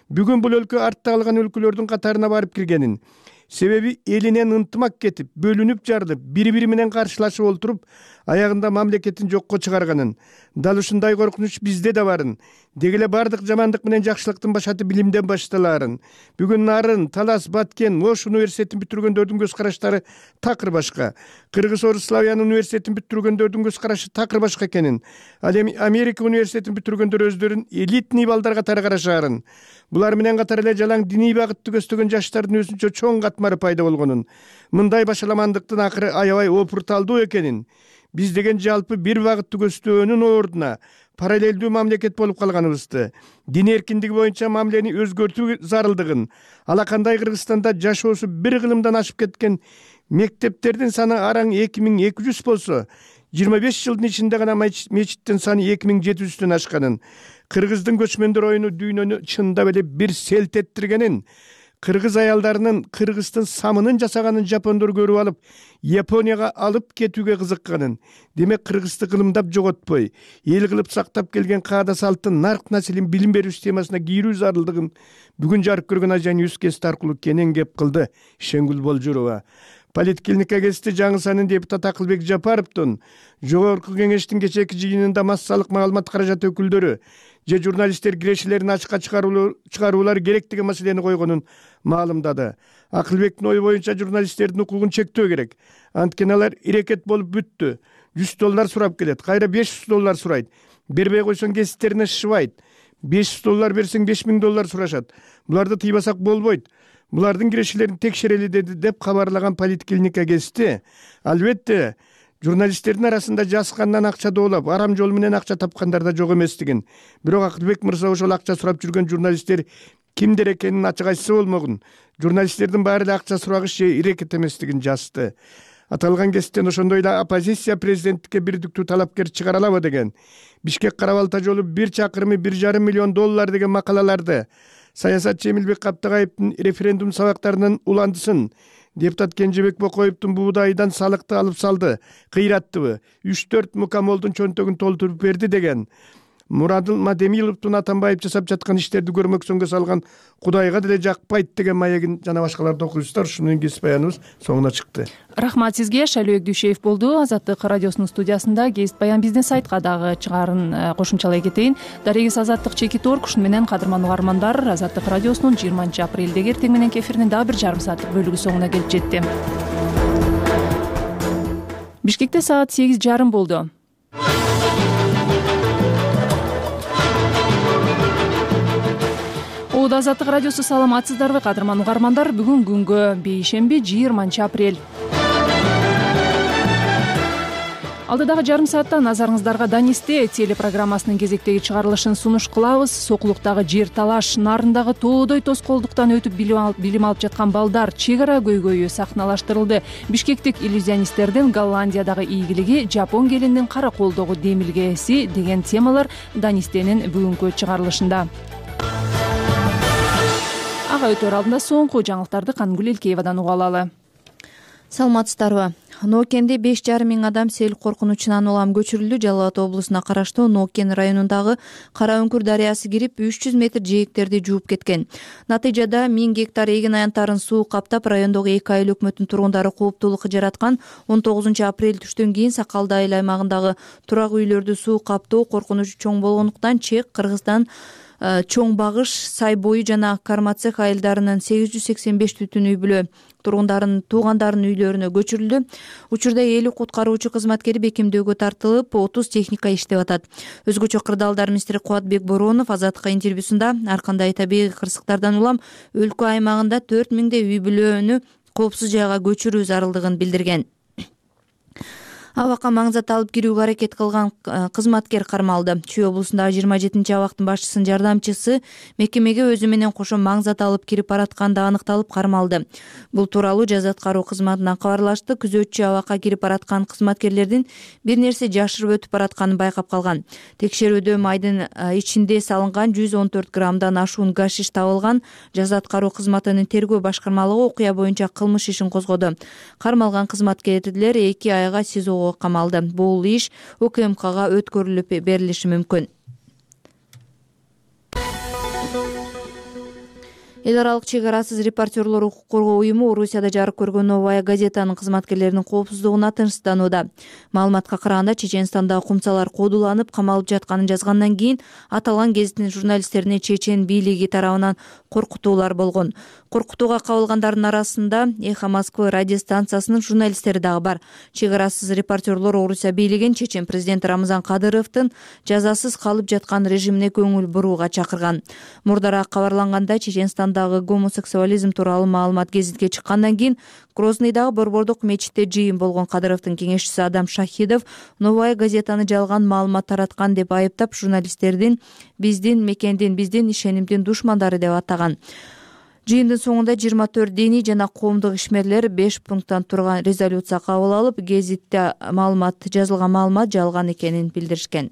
бүгүн бул өлкө артта калган өлкөлөрдүн катарына барып киргенин. Себеби элинен ынтымак кетип, бөлүнүп жарылып, бири-бири менен каршылашып олтуруп, аягында мамлекетин жокко чыгарганын. Дал ушундай коркунуч бизде да барын. Дегеле бардык жамандык менен жакшылыктын башаты билимден башталаарын. Бүгүн Нарын, Талас, Баткен, Ош университетин бүтүргөндөрдүн көз караштары такыр башка. Кыргыз-Орус Славян университетин бүтүргөндөрдүн көз карашы такыр башка экенин. Ал эми Америка университетин бүтүргөндөр өздөрүн элитный балдар катары карашаарын. Булар менен катар эле жалаң диний багытты көздөгөн жаштардын өзүнчө чоң катмары пайда болгонун. Мындай башаламандыктын акыры аябай опурталдуу экенин. Биз деген жалпы бир багытты көздөөнүн ордуна параллелдүү мамлекет болуп калганыбызды, дин эркиндиги боюнча мамилени өзгөртүү зарылдыгын, алакандай Кыргызстанда жашоосу бир кылымдан ашып кеткен мектептердин саны араң 2200 болсо, 25 жылдын ичинде гана мечиттин саны 2700-төн ашканын, кыргыздын көчмөндөр оюну дүйнөнү чындап эле бир селт эттиргенин, кыргыз аялдарынын кыргыздын самынын жасаганын жапондор көрүп алып, Японияга алып кетүүгө кызыкканын, демек кыргызды кылымдап жоготпой, эл кылып сактап келген каада салттын нарк населин билим берүү системасына кийрүү зарылдыгын бүгүн жарык көргөн Азия Ньюс гезити аркылуу кенен кеп кылды Ишенгүл Болжурова. Политклиника гезити жаңы санын депутат Акылбек Жапаровдун жогорку кеңештин кечээки жыйынында массалык маалымат каражаты өкүлдөрү же журналисттер кирешелерин ачыкка чыгаруулары керек деген маселени койгонун маалымдады. Акылбектин ою боюнча журналисттердин укугун чектөө керек. Анткени алар ирекет болуп бүттү. $100 сурап келет, кайра $500 сурайт. Бербей койсоң гезиттерине шышыбайт. $500 берсең $5000 сурашат. Буларды тыйбасак болбойт. Булардын кирешелерин текшерели деп кабарлаган Политклиника гезити. Албетте, журналисттердин арасында жаскандан акча доолап, арам жол менен акча тапкандар да жок эместигин. Бирок Акылбек мырза ошол акча сурап жүргөн журналисттер кимдер экенин ачык айтса болмогун. Журналисттердин баары эле акча сурагыш же ирекет эместигин жазды. Аталган гезиттен ошондой эле оппозиция президенттикке бирдиктүү талапкер чыгара алабы деген, Бишкек Кара-Балта жолу 1 чакырымы $1,5 миллион деген макалаларды, саясатчы Эмилбек Каптагаевдин референдум сабактарынын уландысын, депутат Кенжебек Бокоевдун буудайдан салыкты алып салды, кыйраттыбы, 3-4 мукамолдун чөнтөгүн толтуруп берди деген, Мурадыл Мадемиловдун Атамбаев жасап жаткан иштерди көрмөксөнгө салган Кудайга деле жакпайт деген маегин жана башкаларды окуйсуздар. Ушуну менен кесип баяныбыз соңуна чыкты. Рахмат сизге. Шайлообек Дүйшеев болду. Азаттык радиосунун студиясында кесип баян бизнес сайтка дагы чыгаарын кошумчалай кетейин. Дарегиз Азаттык чеки торг. Ушуну менен кадырман угармандар, Азаттык радиосунун 20-апрелдеги эртең мененки эфиринин дагы 1,5 сааттык бөлүгү соңуна келип жетти. Бишкекте саат 8:30 болду. Азаттык радиосу саламатсыздарбы, кадырман угармандар? Бүгүн күнгө бейшемби 20-апрель. Алдыдагы жарым саатта назарыңыздарга Данисте телепрограммасынын кезектеги чыгарылышын сунуш кылабыз. Сокулуктагы жер талаш, нарындагы тоодой тоскоолдуктан өтүп билим алып жаткан балдар, чек ара көйгөйү сахналаштырылды. Бишкектик иллюзионисттердин Голландиядагы ийгилиги, Жапон келиндин кара колдогу демилгеси деген темалар Данистенин бүгүнкү чыгарылышында. Ага өтөр алдында соңку жаңылыктарды Кангүл Элкеевадан уга алалы. Саламатсыздарбы? Ноокенде 5,5 миң адам сел коркунучунан улам көчүрүлдү. Жалал Абад облусуна караштуу Ноокен районундагы Кара Өңкүр дарыясы кирип 300 метр жээктерди жууп кеткен. Натыйжада 1000 гектар эгин аянттарын суу каптап, райондогу 2 айыл өкмөттүн тургундары кооптуулук жараткан. 19 апрель түштөн кийин Сакалды айыл аймагындагы турак үйлөрдү суу каптоо коркунучу чоң болгондуктан Чек, Кыргызстан, Чоң Багыш, Сай бою жана Кармацех айылдарынын 885 түтүн үй бүлө туугандарынын үйлөрүнө көчүрүлдү. Учурда 50 куткаруучу кызматкери бекемдөөгө тартылып, 30 техника иштеп атат. Өзгөчө Кырдаалдар министри Кубатбек Боронов Азаттыкка интервьюсунда ар кандай табигый кырсыктардан улам өлкө аймагында 4000 үй бүлөнү коопсуз жайга көчүрүү зарылдыгын билдирген. Абакка маңзат алып кирүүгө аракет кылган кызматкер кармалды. Чүй облусундагы 27 абактын башчысынын жардамчысы мекемеге өзү менен кошо маңзат алып кирип баратканда аныкталып кармалды. Бул тууралуу жаза аткаруу кызматынан кабарлашты. Күзөтчү абакка кирип бараткан кызматкерлердин бир нерсе жашырып өтүп баратканын байкап калган. Текшерүүдө майдын ичинде салынган 114 граммдан ашуун гашиш табылган. Жаза аткаруу кызматынын тергөө башкармалыгы окуя боюнча кылмыш ишин козгоду. Кармалган кызматкерлер 2 айга СИЗОго камалды. Бул иш УКМКга өткөрүлүп берилиши мүмкүн. Эл аралык чек арасыз репортерлор укук коргоо уюму Орусияда жарык көргөн Новая газетанын кызматкерлеринин коопсуздугуна тынчсызданууда. Маалыматка караганда, Чеченстандагы кумсалар кодуланып камалып жатканын жазгандан кийин аталган гезиттин журналисттерине чечен бийлиги тарабынан коркутуулар болгон. Коркутууга кабылгандардын арасында Эхо Москвы радиостанциясынын журналисттери дагы бар. Чек арасыз репортерлор Орусия бийлигин чечен президенти Рамзан Кадыровдун жазасыз калып жаткан режимине көңүл бурууга чакырган. Мурдараак кабарлангандай, Чеченстандагы гомосексуализм тууралуу маалымат гезитке чыккандан кийин Грознойдагы борбордук мечитте жыйын болгон Кадыровдун кеңешчиси Адам Шахидов Новая газетаны жалган маалымат тараткан деп айыптап, журналисттердин биздин мекендин, биздин ишенимдин душмандары деп атаган. Жыйындын соңунда 24 диний жана коомдук ишмерлер 5 пункттан турган резолюция кабыл алып, гезитте жазылган маалымат жалган экенин билдиришкен.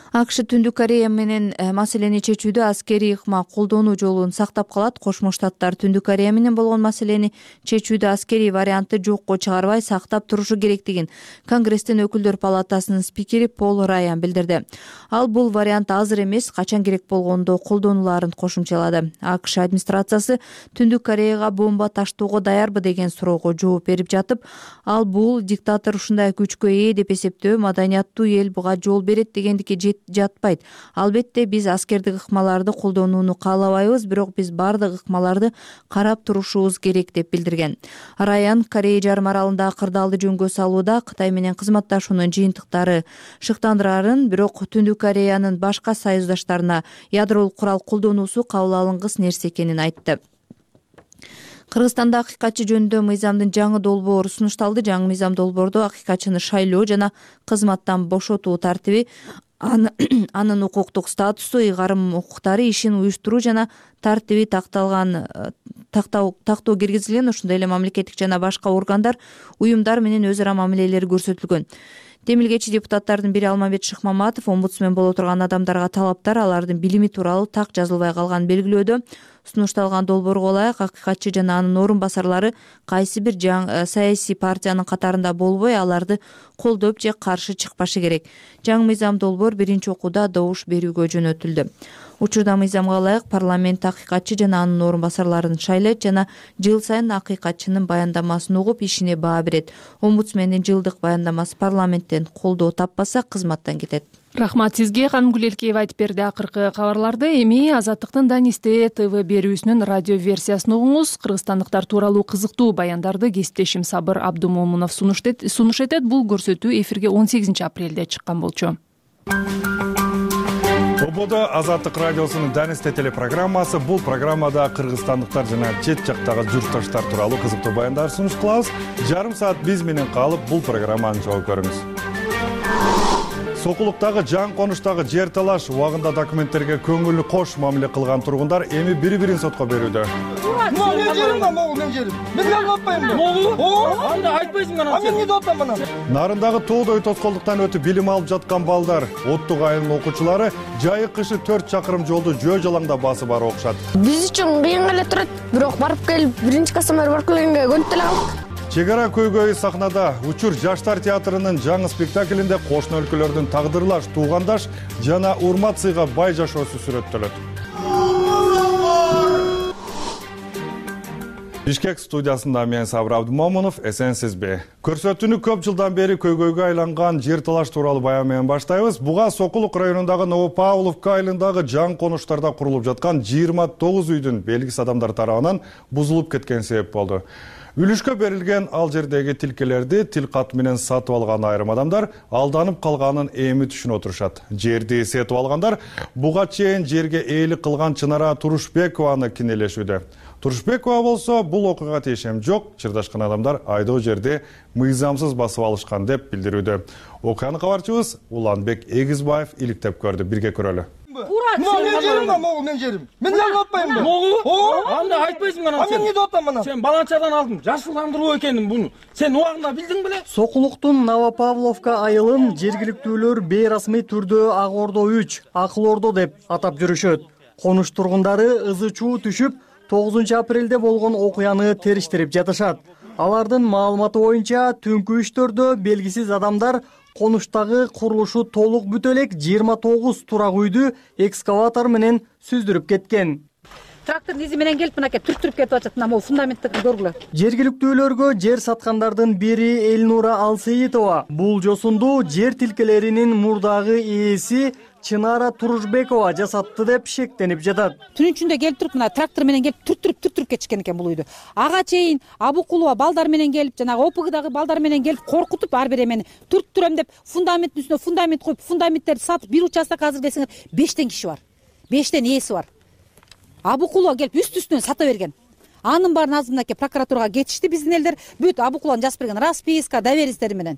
АКШ Түндүк Корея менен маселени чечүүдө аскерий ыкма колдонуу жолун сактап калат. Кошмо Штаттар Түндүк Корея менен болгон маселени чечүүдө аскерий вариантты жокко чыгарбай сактап турушу керектигин Конгресстин өкүлдөр палатасынын спикери Пол Раян билдирди. Ал бул вариант азыр эмес, качан керек болгондо колдонулаарын кошумчалады. АКШ администрациясы Түндүк Кореяга бомба таштоого даярбы деген суроого жооп берип жатып, ал бул диктатор ушундай күчкө ээ деп эсептөө маданияттуу эл буга жол берет дегендикке жатпайт. Албетте биз аскердик ыкмаларды колдонууну каалабайбыз, бирок биз бардык ыкмаларды карап турушубуз керек деп билдирген. Раян Корея жарым аралындагы кырдаалды жөнгө салууда Кытай менен кызматташуунун жыйынтыктары шыктандырарын, бирок Түндүк Кореянын башка союздаштарына ядролук курал колдонуусу кабыл алынгыс нерсе экенин айтты. Кыргызстанда акыйкатчы жөнүндө мыйзамдын жаңы долбоору сунушталды. Жаңы мыйзам долбоордо акыйкатчыны шайлоо жана кызматтан бошотуу тартиби, анын укуктук статусу, ыйгарым укуктары, ишин уюштуруу жана тартиби тактоо киргизилген. Ошондой эле мамлекеттик жана башка органдар, уюмдар менен өз ара мамилелери көрсөтүлгөн. Демилгечи депутаттардын бири Алмамбет Шыкмаматов омбудсмен боло турган адамдарга талаптар алардын билими тууралуу так жазылбай калганын белгилөөдө. Сунушталган долбоорго ылайык акыйкатчы жана анын орун басарлары кайсы бир саясий партиянын катарында болбой, аларды колдоп же каршы чыкпашы керек. Жаңы мыйзам долбоор биринчи окууда добуш берүүгө жөнөтүлдү. Учурда мыйзамга ылайык парламент акыйкатчы жана анын орун басарларын шайлайт жана жыл сайын акыйкатчынын баяндамасын угуп ишине баа берет. Омбудсмендин жылдык баяндамасы парламенттен колдоо таппаса кызматтан кетет. Рахмат сизге, Ханым Гүлелкеева айтып берди акыркы кабарларды. Эми Азаттыктын Данисте ТВ берүүсүнүн радио версиясын угуңуз. Кыргызстандыктар тууралуу кызыктуу баяндарды кесиптешим Сабыр Абдумомунов сунуш этет. Бул көрсөтүү эфирге 18 апрелде чыккан болчу. Ободо Азаттык радиосунун Данисте телепрограммасы. Бул программада кыргызстандыктар жана чет жактагы журтташтар тууралуу кызыктуу баяндар сунуш кылабыз. Жарым саат биз менен калып бул программаны жол көрүңүз. Сокулуктагы жан конуштагы жер талаш убагында документтерге көңүлү кош мамиле кылган тургундар эми бири-бирин сотко берүүдө. Мен жерим да, могу мен жерим. Мен неге атпайм да? Анда айтпайсың анан сен. Мен эмне атам анан? Нарындагы тоодой тоскоолдуктан өтүп билим алып жаткан балдар, Оттук айылынын окуучулары жайы кышы 4 чакырым жолду жөө жалаңда басып барып окушат. Биз үчүн кыйын эле турат, бирок барып келип биринчи касамар барып келгенге көнүп деле калдык. Чек ара көйгөйү сахнада. Учур жаштар театрынын жаңы спектаклинде кошуна өлкөлөрдүн тагдырлаш, туугандаш жана урмат сыйга бай жашоосу сүрөттөлөт. Бишкек студиясында мен Сабыр Абдумомунов, эсенсизби? Көрсөтүүнү көп жылдан бери көйгөйгө айланган жер талаш тууралуу баян менен баштайбыз. Буга Сокулук районундагы Новопавловка айылындагы жаңы конуштарда курулуп жаткан 29 үйдүн белгисиз адамдар тарабынан бузулуп кеткен себеп болду. Үлүшкө берилген ал жердеги тилкелерди тил кат менен сатып алган айрым адамдар алданып калганын эми түшүнүп отурушат. Жерди сетип алгандар буга чейин жерге ээлик кылган Чынара Турушбекованы кинелешүүдө. Турушбекова болсо бул окуяга тиешем жок, чырдашкан адамдар айдоо жерди мыйзамсыз басып алышкан деп билдирүүдө. Окуяны кабарчыбыз Уланбек Эгизбаев иликтеп көрдү. Бирге көрөлү. Мен жерим да, могу мен жерим. Мен неге атпайм да? Анда айтпайсың анан сен. Мен эмне атам анан? Сен баланчадан алдым, жашылдандыруу экенин буну. Сен убагында билдиң беле? Сокулуктун Новопавловка айылын жергиликтүүлөр бейрасмий түрдө Ак Ордо 3, Акыл Ордо деп атап жүрүшөт. Конуш тургундары ызы чуу түшүп 9 апрелде болгон окуяны териштирип жатышат. Алардын маалыматы боюнча түнкү 3-төрдө белгисиз адамдар конуштагы курулушу толук бүтө элек 29 турак үйдү экскаватор менен сүздүрүп кеткен. Трактордун изи менен келип мынакей түртүрүп кетип атат. Мына могу фундаментти көргүлө. Жергиликтүүлөргө жер саткандардын бири Элнура Алсейитова бул жосунду жер тилкелеринин мурдагы ээси Чынара Турушбекова жасатты деп шектенип жатат. Түнүн ичинде келип туруп, мына трактор менен келип түртүрүп кетишкен экен бул үйдү. Ага чейин Абукулова балдар менен келип, жанагы ОПГдагы балдар менен келип коркутуп, ар бир эмени түрттүрөм деп фундаменттин үстүнө фундамент коюп, фундаменттерди сатып, бир участок азыр десеңер 5 киши бар. 5 ээси бар. Абукулова келип үстүнөн сата берген. Анын баарын азыр мынакей прокуратурага кетишти биздин элдер. Бүт Абукулованын жазып берген расписка, доверенностьтери менен.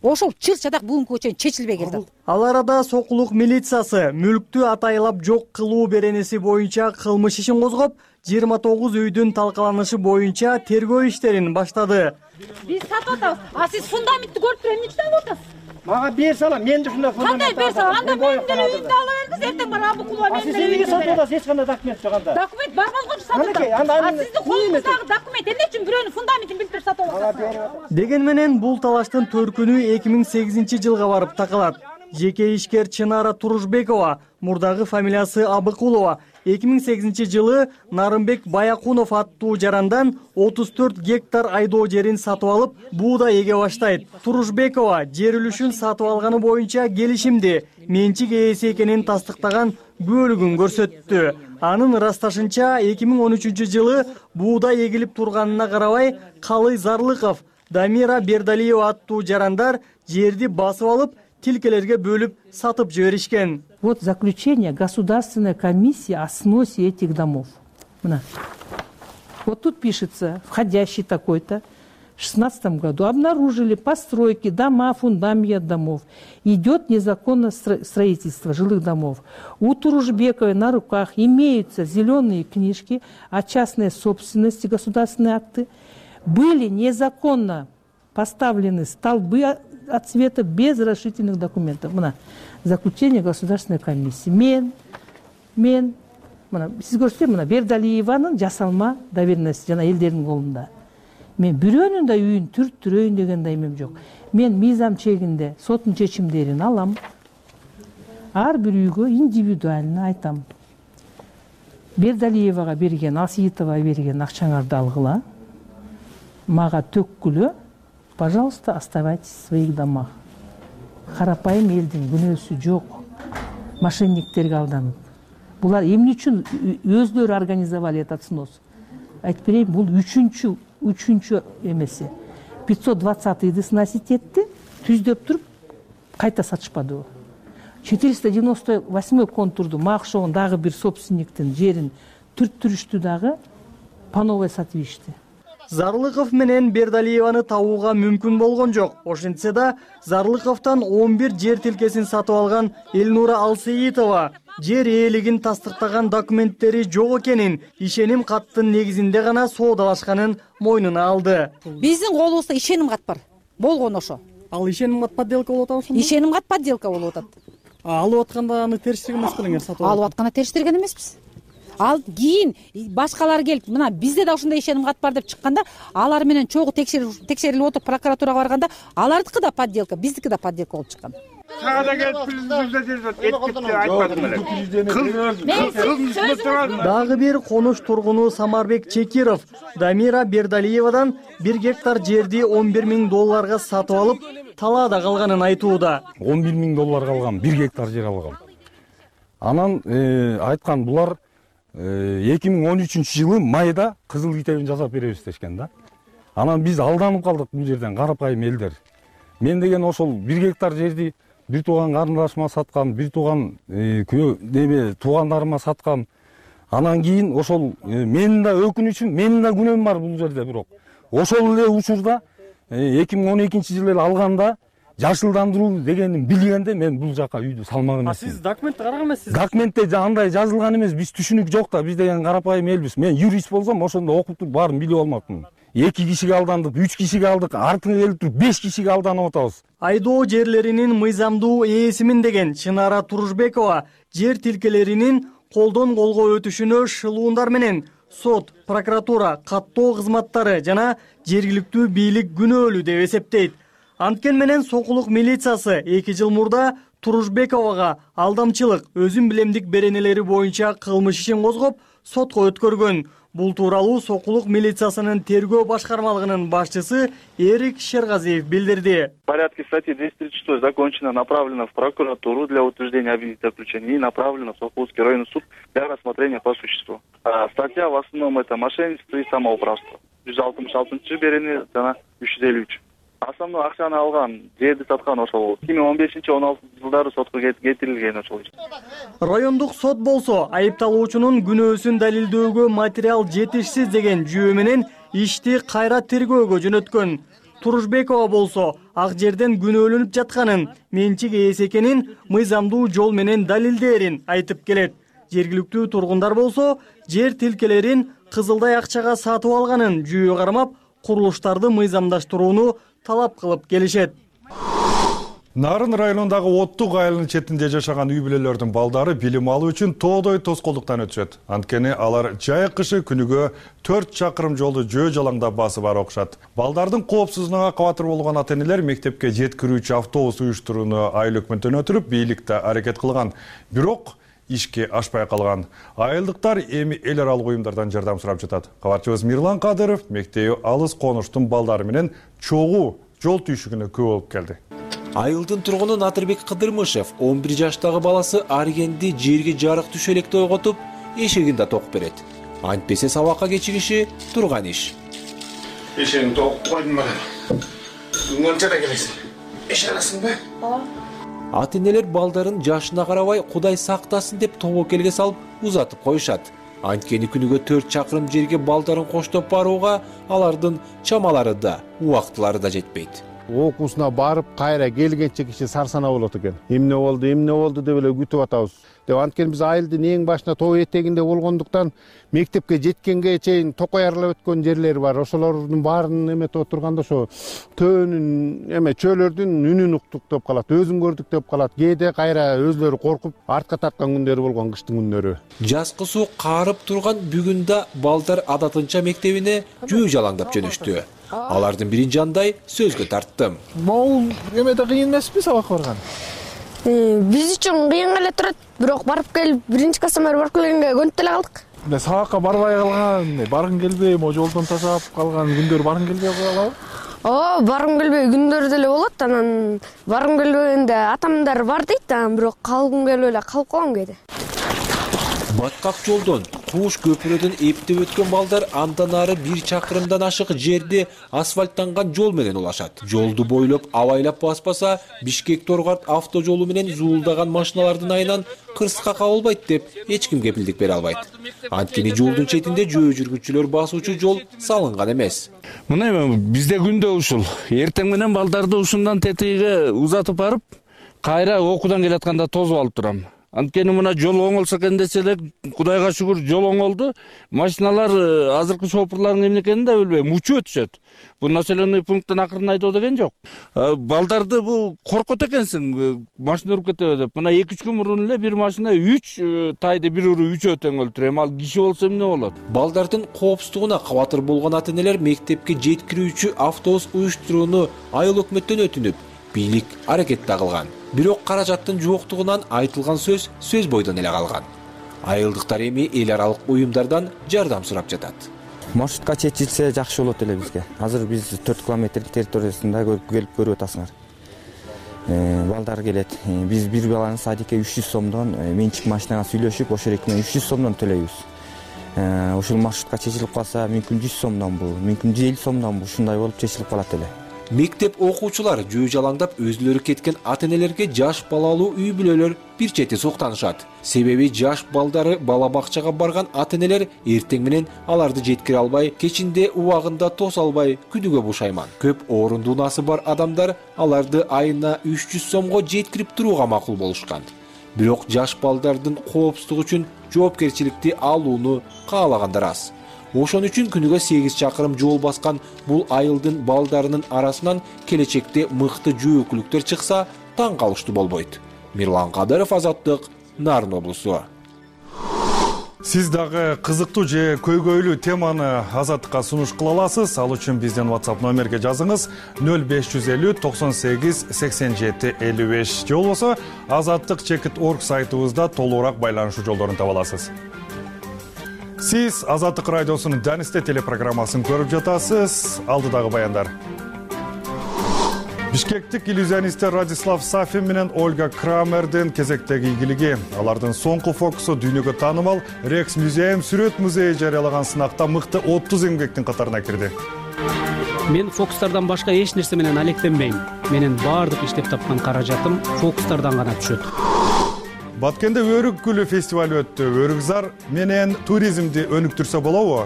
Ошол чыр-чадак бүгүнкүгө чейин чечилбей келди. Ал арада Сокулук милициясы мүлктү атайлап жок кылуу беренеси боюнча кылмыш ишин козгоп, 29 үйдүн талкаланышы боюнча тергөө иштерин баштады. Биз сатып атабыз. А сиз фундаментти көрүп туруп эмне үчүн алып атасыз? Мага бере салам, мен ушундай кандай бере салам? Анда менин деле үйүмдө ала бериңиз, эртең бара Абыкулова менин деле. Сиз эмнеге сатып атасыз? Эч кандай документ жок анда. Документ барбаз го сатып атасыз. Сиздин колуңуздагы документ эмне үчүн бирөөнүн фундаментин билип сатып аласыз? Деген менен бул талаштын төркүнү 2008-жылга барып такалат. Жеке ишкер Чынара Турушбекова, мурдагы фамилиясы Абыкулова, 2008-жылы Нарымбек Баякунов аттуу жарандан 34 гектар айдоо жерин сатып алып, буудай эге баштайт. Турушбекова жер үлүшүн сатып алганы боюнча келишимди менчик ээси экенин тастыктаган бөлүгүн көрсөттү. Анын ырасташынча 2013-жылы буудай эгилип турганына карабай, Калый Зарлыков, Дамира Бердалиева аттуу жарандар жерди басып алып, тилкелерге бөлүп сатып жиберишкен. Вот заключение Государственной комиссии о сносе этих домов. Вот тут пишется, входящий такой-то, в 2016 году обнаружили постройки, дома, фундаменты домов. Идет незаконное строительство жилых домов. У Турушбековой на руках имеются зеленые книжки о частной собственности, государственные акты. Были незаконно поставлены столбы от цвета без разрешительных документов. Заключение Государственной комиссии. Мен. Сиз көрсөтсөм, Бердалиеванын жасалма доверенности жана элдердин колунда. Мен бирөөнүн да үйүн түрттүрөйүн деген да эмем жок. Мен мыйзам чегинде соттун чечимдерин алам. Ар бир үйгө индивидуально айтам. Бердалиевага берген, Асиитова берген акчаңарды алгыла. Мага төккүлө. Пожалуйста, оставайтесь в своих домах. Карапайым элдин күнөөсү жок. Мошенниктерге алданып. Булар эмне үчүн өзлөрү организовали этот снос? Айтып берейин, бул үчүнчү эмеси. 520-ды сносить этти, түздөп туруп кайта сатышпады. 498 контурду макшогон дагы бир собственниктин жерин түрттүрүштү дагы по новой сатып ишти. Зарлыков менен Бердалиеваны табууга мүмкүн болгон жок. Ошентсе да Зарлыковдон 11 жер тилкесин сатып алган Элнура Алсеитова жер ээлигин тастыктаган документтери жок экенин, ишеним каттын негизинде гана соодалашканын мойнуна алды. Биздин колубузда ишеним кат бар. Болгон ошо. Ал ишеним кат подделка болуп атабы ошондо? Ишеним кат подделка болуп атат. Алып атканда аны териштирген эмес белеңер сатып алып? Алып атканда териштирген эмеспиз. Ал кийин башкалар келип, мына бизде да ушундай ишеним кат бар деп чыкканда, алар менен чогуу текшерилип отуруп прокуратурага барганда, алардыкы да подделка, биздики да подделка болуп чыккан. Дагы бир конуш тургуну Самарбек Чекиров Дамира Бердалиевадан 1 гектар жерди $11,000 сатып алып, талаада калганын айтууда. $11,000 алгам, 1 гектар жер алгам. Анан айткан булар 2013-жылы майда кызыл китебин жасап беребиз дешкен да. Анан биз алданып калдык бул жерден, карапайым элдер. Мен деген ошол 1 гектар жерди бир тууган карындашыма саткам, бир тууган туугандарыма саткам. Анан кийин ошол менин да өкүнүчүм, менин да күнөөм бар бул жерде, бирок ошол эле учурда 2012-жылы алганда жашылдандыруу дегенин билгенде мен бул жака үйдү салмак эмес. Сиз документти караган эмессиз? Документте андай жазылган эмес, биз түшүнүк жок да, биз деген карапайым элбиз. Мен юрист болсом ошондо окуп туруп баарын билип алмакмын. 2 кишиге алдандык, 3 кишиге алдык, артыңа келип туруп 5 кишиге алданып атабыз. Айдоо жерлеринин мыйзамдуу ээсимин деген Чынара Турушбекова жер тилкелеринин колдон колго өтүшүнө шылуундар менен сот, прокуратура, каттоо кызматтары жана жергиликтүү бийлик күнөөлүү деп эсептейт. Анткен менен Сокулук милициясы 2 жыл мурда Турушбековага алдамчылык, өзүн билемдик беренелери боюнча кылмыш ишин козгоп, сотко өткөргөн. Бул тууралуу Сокулук милициясынын тергөө башкармалыгынын башчысы Эрик Шергазиев билдирди. В порядке статьи 236 закончено, направлено в прокуратуру для утверждения обвинительного заключения и направлено в Сокулский районный суд для рассмотрения по существу. Статья в основном это мошенничество и самоуправство. 166 берени жана 353. Основной акчаны алган, жерди саткан ошол 2015-16 жылдары сотко кетирилген ошол. Райондук сот болсо айыпталуучунун күнөөсүн далилдөөгө материал жетишсиз деген жүйө менен ишти кайра тергөөгө жөнөткөн. Турушбекова болсо ак жерден күнөөлөнүп жатканын, менчик ээси экенин мыйзамдуу жол менен далилдээрин айтып келет. Жергиликтүү тургундар болсо жер тилкелерин кызылдай акчага сатып алганын жүйө кармап, курулуштарды мыйзамдаштырууну талап кылып келишет. Нарын районундагы Оттук айылынын четинде жашаган үй бүлөлөрдүн балдары билим алуу үчүн тоодой тоскоолдуктан өтүшөт. Анткени алар жай кышы күнүгө 4 чакырым жолду жөө жалаңдап басып барып окушат. Балдардын коопсуздугуна кабатыр болгон ата-энелер мектепке жеткирүүчү автобус уюштурууну айыл өкмөтүнөн өтүрүп, бийликте аракет кылган. Бирок ишке ашпай калган. Айылдыктар эми эл аралык уюмдардан жардам сурап жатат. Кабарчыбыз Мирлан Кадыров мектеби алыс конуштун балдары менен чогуу жол түйшүгүнө күбө болуп келди. Айылдын тургуну Натырбек Кыдырмышев 11 жаштагы баласы Аргенди жерге жарык түшө электе ойготуп, эшегин да токуп берет. Антпесе сабакка кечигиши турган иш. Эшегин токуп койдум мен. Мынчада келесиң. Эш аласыңбы? Ата-энелер балдарын жашына карабай Кудай сактасын деп тобокелге салып узатып коюшат. Анткени күнүгө 4 чакырым жерге балдарын коштоп барууга алардын чамалары да, убактылары да жетпейт. Окуусуна барып, кайра келгенче киши сарсана болот экен. Эмне болду деп эле күтүп атабыз. Деп анткени биз айылдын эң башына тоо этегинде болгондуктан мектепке жеткенге чейин токоярлап өткөн жерлери бар. Ошолордун баарын эметип отурганда ошо төөнүн чөөлөрдүн үнүн уктук деп калат, өзүн көрдүк деп калат. Кээде кайра өзлөрү коркуп артка тарткан күндөрү болгон кыштын күндөрү. Жазкы суу карып турган бүгүн да балдар адатынча мектебине жөө жалаңдап жөнөштү. Алардын бирин жандай сөзгө тарттым. Могул эмеде кыйын эмеспи сабакка барган? Биз үчүн кыйын эле турат, бирок барып келип биринчи класстан бери барып келгенге көнүп деле калдык. Сабакка барбай калган, баргың келбей, могу жолдон ташап калган күндөр баргың келбей калабы? Баргым келбей күндөр деле болот. Анан баргым келбегенде атамдар бар дейт, бирок калгым келбей эле калып калам кээде. Баткак жолдон, кууш көпүрөдөн эптеп өткөн балдар андан ары 1 чакырымдан ашык жерде асфальттанган жол менен улашат. Жолду бойлоп абайлап баспаса, Бишкек-Торгат автожолу менен зуулдаган машиналардын айынан кырсыкка кабылбайт деп эч ким кепилдик бере албайт. Анткени жолдун четинде жөө жүргүнчүлөр басуучу жол салынган эмес. Мына бизде күндө ушул. Эртең менен балдарды ушундан тетиге узатып барып, кайра окуудан келатканда тосуп алып турам. Анткени мына жол оңолсо экен десе эле, Кудайга шүгүр жол оңолду. Машиналар азыркы шопурлардын эмне экенин да билбейм, учуп өтүшөт. Бул населенный пункттан акырын айдоо деген жок. Балдарды бул коркот экенсиң, машина уруп кетеби деп. Мына 2-3 күн мурун эле бир машина 3 тайды бир уруп 3 өтөң өлтүрөт. Ал киши болсо эмне болот? Балдардын коопсуздугуна кабатыр болгон ата-энелер мектепке жеткирүүчү автобус уюштурууну айыл өкмөттөн өтүнүп, бийлик аракет да кылган. Бирок каражаттын жоктугунан айтылган сөз бойдон эле калган. Айылдыктар эми эл аралык уюмдардан жардам сурап жатат. Маршрутка чечилсе жакшы болот эле бизге. Азыр биз 4 километр территориясында келип көрүп атасыңар. Балдар келет. Биз бир баланы садикке 300 сомдон менчик машинага сүйлөшүп, ошол экине 300 сомдон төлөйбүз. Ошол маршрутка чечилип калса, мүмкүн 100 сомдон бул, мүмкүн 150 сомдон бул, ушундай болуп чечилип калат эле. Мектеп окуучулар жөө жалаңдап өзүлөрү кеткен ата-энелерге жаш балалуу үй бүлөлөр бир чети суктанышат. Себеби жаш балдары бала бакчага барган ата-энелер эртең менен аларды жеткире албай, кечинде убагында тоса албай күнүгө бушайман. Көп орундуунасы бар адамдар аларды айына 300 сомго жеткирип турууга макул болушкан. Бирок жаш балдардын коопсуздугу үчүн жоопкерчиликти алууну каалагандар аз. Ошон үчүн күнүгө 8 чакырым жол баскан бул айылдын балдарынын арасынан келечекте мыкты жөөкүлүктөр чыкса, таң калыштуу болбойт. Мирлан Кадыров, Азаттык, Нарын облусу. Сиз дагы кызыктуу же көйгөйлүү теманы Азаттыкка сунуш кыла аласыз. Ал үчүн биздин WhatsApp номерге жазыңыз 0550 98 87 55 же болбосо azattik.org сайтыбызда толугураак байланышуу жолдорун таба аласыз. Сиз Азаттык радиосунун Данисте телепрограммасын көрүп жатасыз. Алдыдагы баяндар. Бишкектик иллюзионисттер Радислав Сафин менен Ольга Крамердин кезектеги ийгилиги. Алардын соңку фокусу дүйнөгө таанымал Рекс музейм сүрөт музейи жарыялаган сынакта мыкты 30 эмгектин катарына кирди. Мен фокустардан башка эч нерсе менен алектенбейм. Менин баардык иштеп тапкан каражатым фокустардан гана түшөт. Баткенде Өрүк гүлү фестивалы өттү. Өрүкзар менен туризмди өнүктүрсө болобу?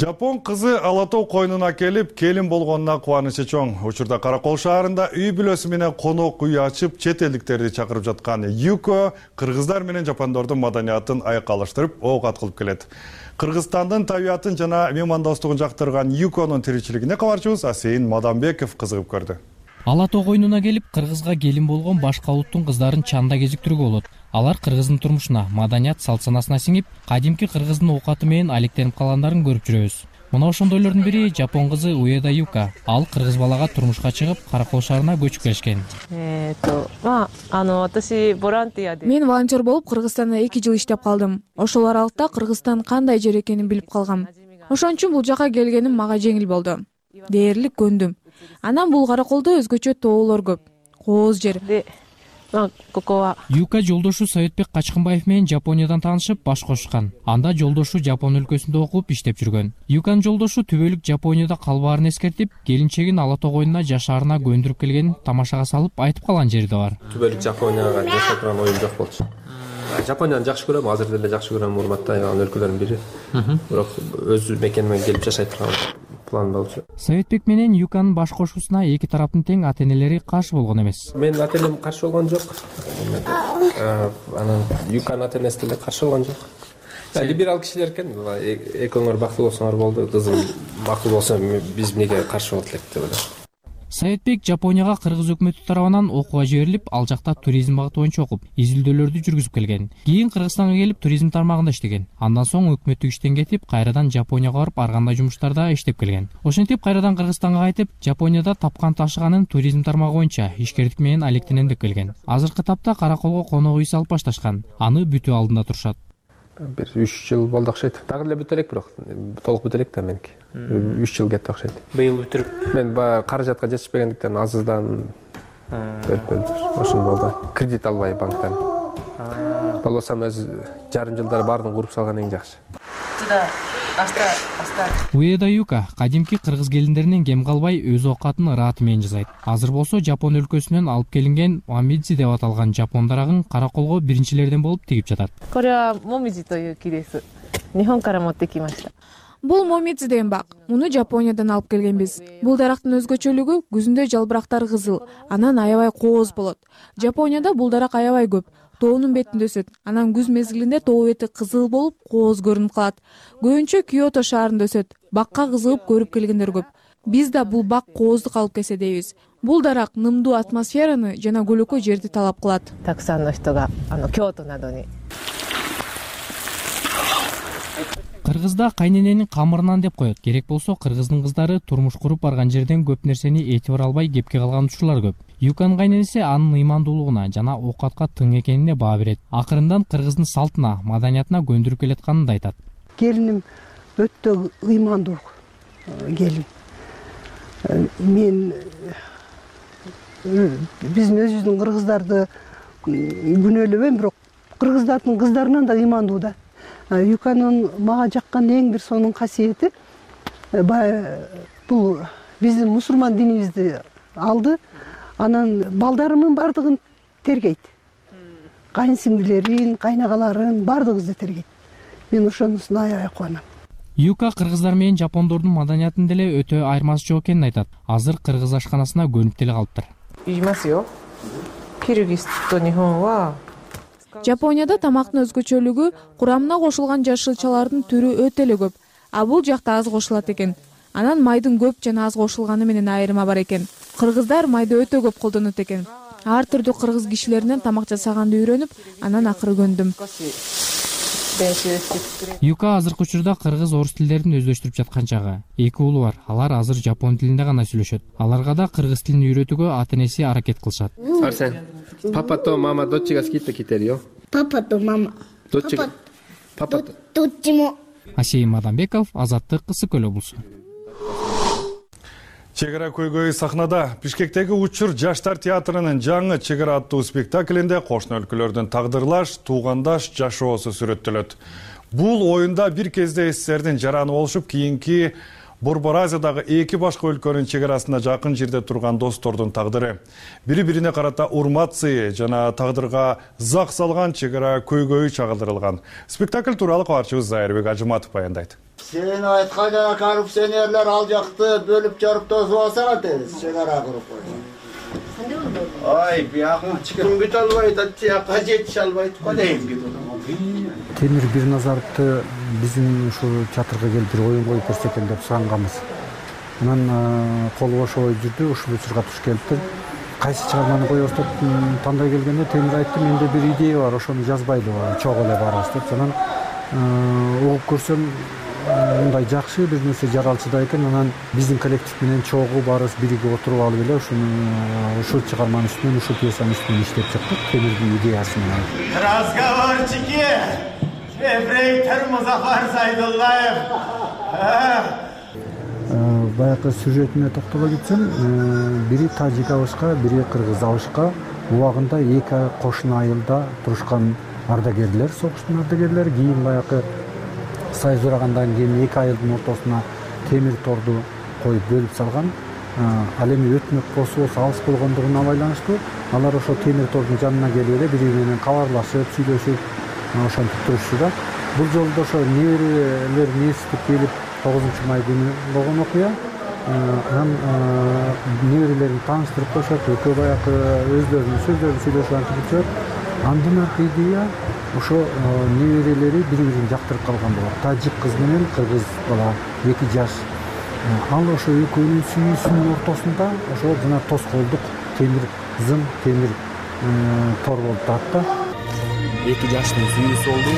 Жапон кызы ала тоо койнуна келип, келин болгонуна кубанычы чоң. Учурда Каракол шаарында үй бүлөсү менен конок үй ачып, чет элдиктерди чакырып жаткан Юко кыргыздар менен жапондордун маданиятын айкалыштырып, ок аткылып келет. Кыргызстандын табиятын жана меймандостугун жактырган Юконун тиричилигине кабарчыбыз Асейин Мадамбеков кызыгып көрдү. Ала тоо койнуна келип, кыргызга келин болгон башка улуттун кыздарын чанда кезиктирүүгө болот. Алар кыргыздын турмушуна, маданият салт-санасына сиңип, кадимки кыргыздын оокаты менен алектенип калгандарын көрүп жүрөбүз. Мына ошондойлордун бири Жапон кызы Уэда Юка. Ал кыргыз балага турмушка чыгып, Каракол шаарына көчүп келишкен. Мен волонтер болуп Кыргызстанда 2 жыл иштеп калдым. Ошол аралыкта Кыргызстан кандай жер экенин билип калгам. Ошон үчүн бул жака келгеним мага жеңил болду. Дээрлик көндүм. Анан бул Караколдо өзгөчө тоолор көп. Кооз жер. Юка жолдошу Советбек Качкынбаев менен Жапониядан таанышып, баш кошушкан. Анда жолдошу Жапон өлкөсүндө окуп иштеп жүргөн. Юканын жолдошу түбөлүк Жапонияда калбаарын эскертип, келинчегин ала тоо койнуна жашаарына көндүрүп келгенин тамашага салып айтып калган жери да бар. Түбөлүк Жапонияга жашап турган оюм жок болчу. Жапонияны жакшы көрөм, азыр деле жакшы көрөм, урматтайм өлкөлөрдүн бири. Бирок өз мекениме келип жашай турган план болчу. Советбек менен Юканын баш кошуусуна эки тараптын тең ата-энелери каршы болгон эмес. Менин ата-энем каршы болгон жок. Анан Юканын ата-энеси деле каршы болгон жок. Либерал кишилер экен, экөөңөр бактылуу болсоңор болду, кызым макул болсо биз эмнеге каршы болот элек деп ойлойм. Советбек Жапонияга кыргыз өкмөтү тарабынан окууга жиберилип, ал жакта туризм багыты боюнча окуп, изилдөөлөрдү жүргүзүп келген. Кийин Кыргызстанга келип, туризм тармагында иштеген. Андан соң өкмөттүк иштен кетип, кайрадан Жапонияга барып, ар кандай жумуштарда иштеп келген. Ошентип кайрадан Кыргызстанга кайтып, Жапонияда тапкан ташыганын туризм тармагы боюнча ишкердик менен алектенем деп келген. Азыркы тапта Караколго конок үй салып башташкан. Аны бүтүү алдында турушат. Бир 3 жыл болду окшойт. Дагы эле бүтө элек, бирок толук бүтө элек да меники. 3 жыл кетти окшойт. Быйыл бүтүрүп. Мен каражатка жетишпегендиктен азыздан ошондой болду. Кредит албай банктан. Болбосом өз жарым жылдар баарын куруп салган эң жакшы. Уэда Юка кадимки кыргыз келиндеринен кем калбай өз оокатын ырааты менен жасайт. Азыр болсо Жапон өлкөсүнөн алып келинген момидзи деп аталган жапон дарагын Караколго биринчилерден болуп тигип жатат. Бул момидзи деген бак. Муну Жапониядан алып келгенбиз. Бул дарактын өзгөчөлүгү күзүндө жалбырактар кызыл, анан аябай кооз болот. Жапонияда бул дарак аябай көп. Тоонун бетинде өсөт. Анан күз мезгилинде тоо бети кызыл болуп, кооз көрүнүп калат. Көбүнчө Киото шаарында өсөт. Бакка кызыгып көрүп келгендер көп. Биз да бул бак кооздук алып келсе дейбиз. Бул дарак нымдуу атмосфераны жана көлөкө жерди талап кылат. Кыргызда кайнененин камырынан деп коет. Керек болсо кыргыздын кыздары турмуш куруп барган жерден көп нерсени этибар албай кепке калган учурлар көп. Юканын кайненеси анын ыймандуулугуна жана оокатка тың экенине баа берет. Акырындан кыргыздын салтына, маданиятына көндүрүп келатканын да айтат. Келиним өтө ыймандуу келин. Мен биздин өзүбүздүн кыргыздарды күнөөлөбөйм, бирок кыргыздардын кыздарынан да ыймандуу да. Юканын мага жаккан эң бир сонун касиети бул биздин мусулман динибизди алды. Анан балдарымын бардыгын тергейт. Кайынсиңдилерин, кайнагаларын бардыгыбызды тергейт. Мен ошонусуна аябай кубанам. Юка кыргыздар менен жапондордун маданиятын деле өтө айырмасы жок экенин айтат. Азыр кыргыз ашканасына көнүп деле калыптыр. Жапонияда тамактын өзгөчөлүгү курамына кошулган жашылчалардын түрү өтө эле көп. А бул жакта аз кошулат экен. Анан майдын көп жана аз кошулганы менен айырма бар экен. Кыргыздар майды өтө көп колдонот экен. Ар түрдүү кыргыз кишилеринен тамак жасаганды үйрөнүп, анан акыры көндүм. Юка азыркы учурда кыргыз орус тилдерин өздөштүрүп жаткан чагы. Эки уулу бар. Алар азыр жапон тилинде гана сүйлөшөт. Аларга да кыргыз тилин үйрөтүүгө ата-энеси аракет кылышат. Арсен, папа то мама доччига скидка китерио? Папа то мама. Папа доччимо. Асейин Мадамбеков, Азаттык, Ысык Көл облусу. Чек ара көйгөй сахнада Бишкектеги Учур жаштар театрынын жаңы Чек ара аттуу спектаклинде кошуна өлкөлөрдүн тагдырлаш, туугандаш жашоосу сүрөттөлөт. Бул оюнда бир кезде СССРдин жараны болушуп, кийинки Борбор Азиядагы эки башка өлкөнүн чек арасында жакын жерде турган достордун тагдыры. Бири-бирине карата урмат сыйы жана тагдырга зак салган чек ара көйгөйү чагылдырылган. Спектакль тууралуу кабарчыбыз Зайырбек Ажыматов баяндайт. Сен айткан жана коррупционерлер ал жакты бөлүп жарып тосуп алса кантебиз? Чек ара куруп койгон. Ай, бияка чыккым кете албайт, атчакка жетише албайт го дейм. Темир Бирназаровду биздин ушу театрга келип бир оюн коюп көрсөтөм деп суранганбыз. Анан колу бошобой жүрдү, ушул учурга туш келиптир. Кайсы чыгарманы коебуз деп тандай келгенде Темир айтты, менде бир идея бар, ошону жазбайлыбы, чогуу эле барабыз деп. Анан угуп көрсөм, мындай жакшы бир нерсе жаралчыда экен. Анан биздин коллектив менен чогуу барыбыз биригип отуруп алып эле ушул чыгарманын үстүнөн, ушул пьесанын үстүнөн иштеп чыктык. Темирдин идеясы менен. Разговорчики! Ефрейтор Музафар Сайдуллаев. Баягы сюжетине токтоло кетсем, бири тажик абышка, бири кыргыз абышка убагында эки кошуна айылда турушкан ардагерлер, согуштун ардагерлери. Кийин баягы союз урагандан кийин эки айылдын ортосуна темир торду коюп бөлүп салган. Ал эми өтмөк болсо алыс болгондугуна байланыштуу алар ошо темир тордун жанына келип эле бири бири менен кабарлашып, сүйлөшүп, ошентип турушчу да. Бул жолу да ошо неберелер естип келип 9-май күнү болгон окуя. Анан неберелерин тааныштырып коюшат, экөө баягы өздөрүнүн сөздөрүн сүйлөшүп антип жүрүшөт. Андан аркы идея ошо неберелери бири-бирин жактырып калган болот. Тажик кыз менен кыргыз бала 2 жаш. Ал ошо экөөнүн сүйүүсүнүн ортосунда ошо жана тоскоолдук темир зым, темир тор болуп турат да. 2 жаштын сүйүүсү болду.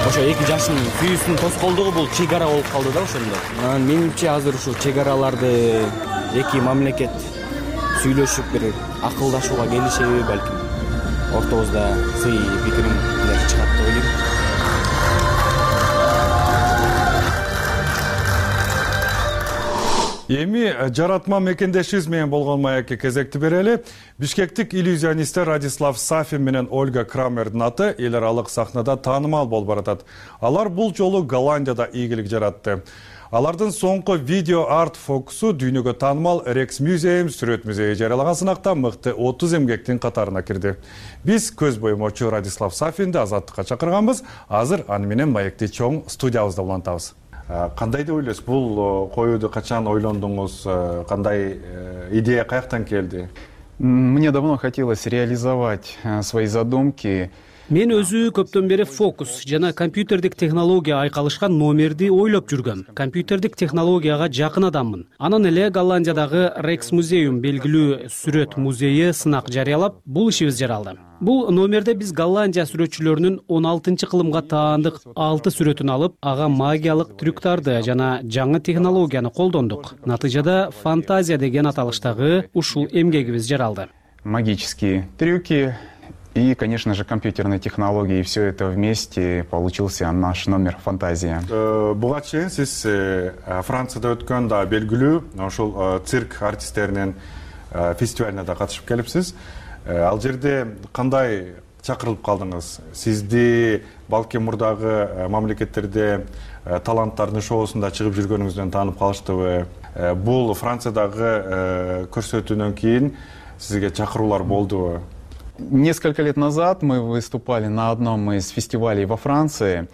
Ошо 2 жаштын сүйүүсүнүн тоскоолдугу бул чек ара болуп калды да ошондо. Менимче азыр ушу чек араларды эки мамлекет сүйлөшүп бир акылдашууга келишеби балким. Ортобузда сый пикиримдер чыгат деп ойлойм. Эми жаратма мекендешибиз менен болгон маекке кезекти берели. Бишкектик иллюзионисттер Радислав Сафин менен Ольга Крамердин аты эл аралык сахнада таанымал болуп баратат. Алар бул жолу Голландияда ийгилик жаратты. Алардын соңку видео арт фокусу дүйнөгө таанымал Rex Museum сүрөт музейи жарыялаган сынакта мыкты 30 эмгектин катарына кирди. Биз көз боюмочу Радислав Сафинди азаттыкка чакырганбыз. Азыр аны менен маекти чоң студиябызда улантабыз. Кандай деп ойлойсуз? Бул коюуду качан ойлондуңуз? Кандай идея каяктан келди? Мне давно хотелось реализовать свои задумки. Мен өзү көптөн бери фокус жана компьютердик технология айкалышкан номерди ойлоп жүргөм. Компьютердик технологияга жакын адаммын. Анан эле Голландиядагы Rex Museum белгилүү сүрөт музейи сынак жарыялап, бул ишибиз жаралды. Бул номерде биз Голландия сүрөтчүлөрүнүн 16-кылымга таандык 6 сүрөтүн алып, ага магиялык трюктарды жана жаңы технологияны колдондук. Натыйжада фантазия деген аталыштагы ушул эмгегибиз жаралды. Магические трюки и, конечно же, компьютерные технологии. И все это вместе получился наш номер «Фантазия». Буга чейин сиз Францияда өткөн да белгилүү ошол цирк артисттеринин фестивалына да катышып келипсиз. Ал жерде кандай чакырылып калдыңыз? Сизди балким мурдагы мамлекеттерде таланттардын шоусунда чыгып жүргөнүңүздөн таанып калыштыбы? Бул Франциядагы көрсөтүүдөн кийин сизге чакыруулар болдубу? Несколько лет назад мы выступали на одном из фестивалей во Франции.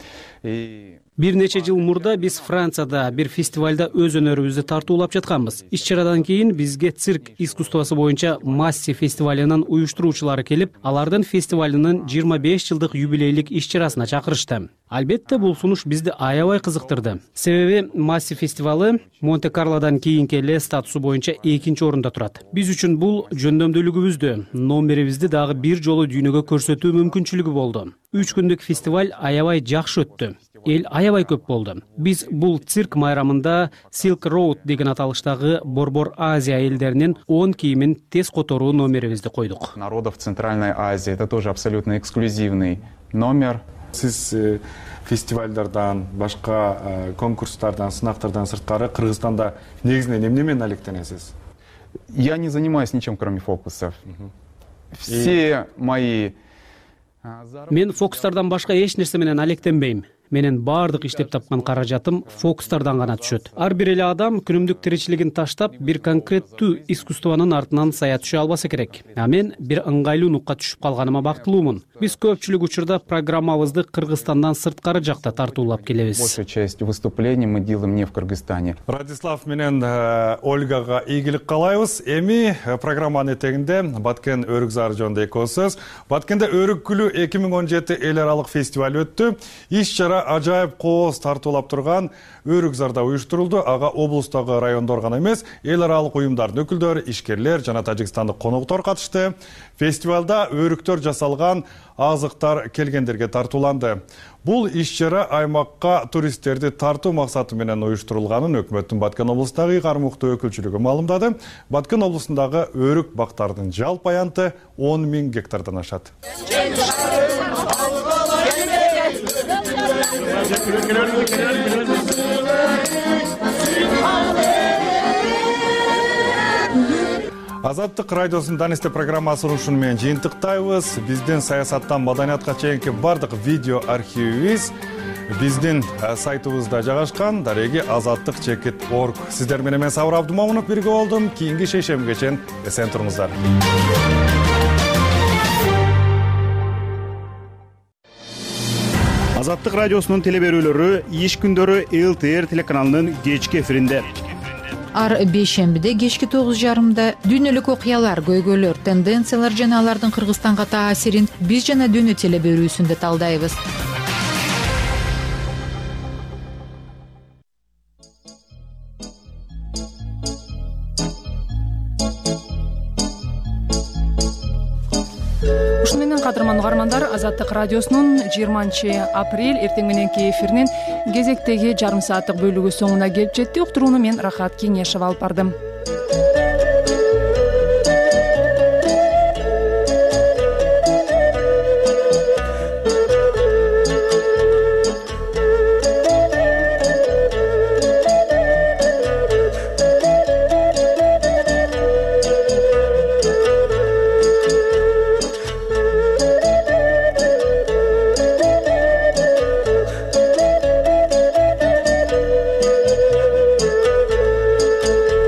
Бир нече жыл мурда биз Францияда бир фестивалда өз өнөрүбүздү тартуулап жатканбыз. Иш-чарадан кийин бизге цирк искусствосу боюнча Масси фестивалынын уюштуруучулары келип, алардын фестивалынын 25 жылдык юбилейлик иш-чарасына чакырышты. Албетте бул сунуш бизди аябай кызыктырды. Себеби Масси фестивалы Монте-Карлодан кийинки эле статусу боюнча 2-нчи орунда турат. Биз үчүн бул жөндөмдүүлүгүбүздү, номерибизди дагы бир жолу дүйнөгө көрсөтүү мүмкүнчүлүгү болду. 3 күндүк фестиваль аябай жакшы өттү. Эл аябай көп болду. Биз бул цирк майрамында Silk Road деген аталыштагы Борбор Азия элдеринин 10 кийимин тез которуу номерибизди койдук. Народов Центральной Азии — это тоже абсолютно эксклюзивный номер. Сиз фестивалдардан, башка конкурстардан, сынактардан сырткары Кыргызстанда негизинен эмне менен алектенесиз? Я не занимаюсь ничем, кроме фокусов. Все мои Мен фокустардан башка эч нерсе менен алектенбейм. менин баардык иштеп тапкан каражатым фокустардан гана түшөт. Ар бир эле адам күнүмдүк тиричилигин таштап, бир конкреттүү искусствонун артынан сая түшө албаса керек. А мен бир ыңгайлуу нукка түшүп калганыма бактылуумун. Биз көпчүлүк учурда программабызды Кыргызстандан сырткары жакта тартуулап келебиз. Большая часть выступлений мы делаем не в Кыргызстане. Радислав менен Ольгага ийгилик каалайбыз. Эми программанын этегинде Баткен өрүк зары жөнүндө эки сөз. Баткенде өрүк күлү 2017 эл аралык фестиваль өттү. Иш-чара ажайып кооз тартуулап турган өрүк зарда уюштурулду. Ага облустагы райондор гана эмес, эл аралык уюмдардын өкүлдөрү, ишкерлер жана тажикстандык конуктор катышты. Фестивалда өрүктөр жасалган азыктар келгендерге тартууланды. Бул иш-чара аймакка туристтерди тартуу максаты менен уюштурулганын өкмөттүн Баткен облустагы кармыктуу өкүлчүлүгү маалымдады. Баткен облусундагы өрүк бактардын жалпы аянты 10 000 гектардан ашат. Азаттык радиосунун Данисте программасын ушуну менен жыйынтыктайбыз. Биздин саясаттан маданиятка чейинки бардык видео архивибиз биздин сайтыбызда жайгашкан. Дареги azattik.org. Сиздер менен мен Сабыр Абдумомунов бирге болдум. Кийинки шейшембиге чейин эсен туруңуздар. Азаттык радиосунун телеберүүлөрү иш күндөрү ЛТР телеканалынын кечки эфиринде. Ар бейшембиде кечки 9:30 дүйнөлүк окуялар, көйгөйлөр, тенденциялар жана алардын Кыргызстанга таасирин биз жана дүйнө телеберүүсүндө талдайбыз. Ушуну менен кадырман угармандар, Азаттык радиосунун 20-апрель эртең мененки эфиринин кезектеги жарым сааттык бөлүгү соңуна келип жетти. Уктурууну мен Рахат Кеңешова алып бардым.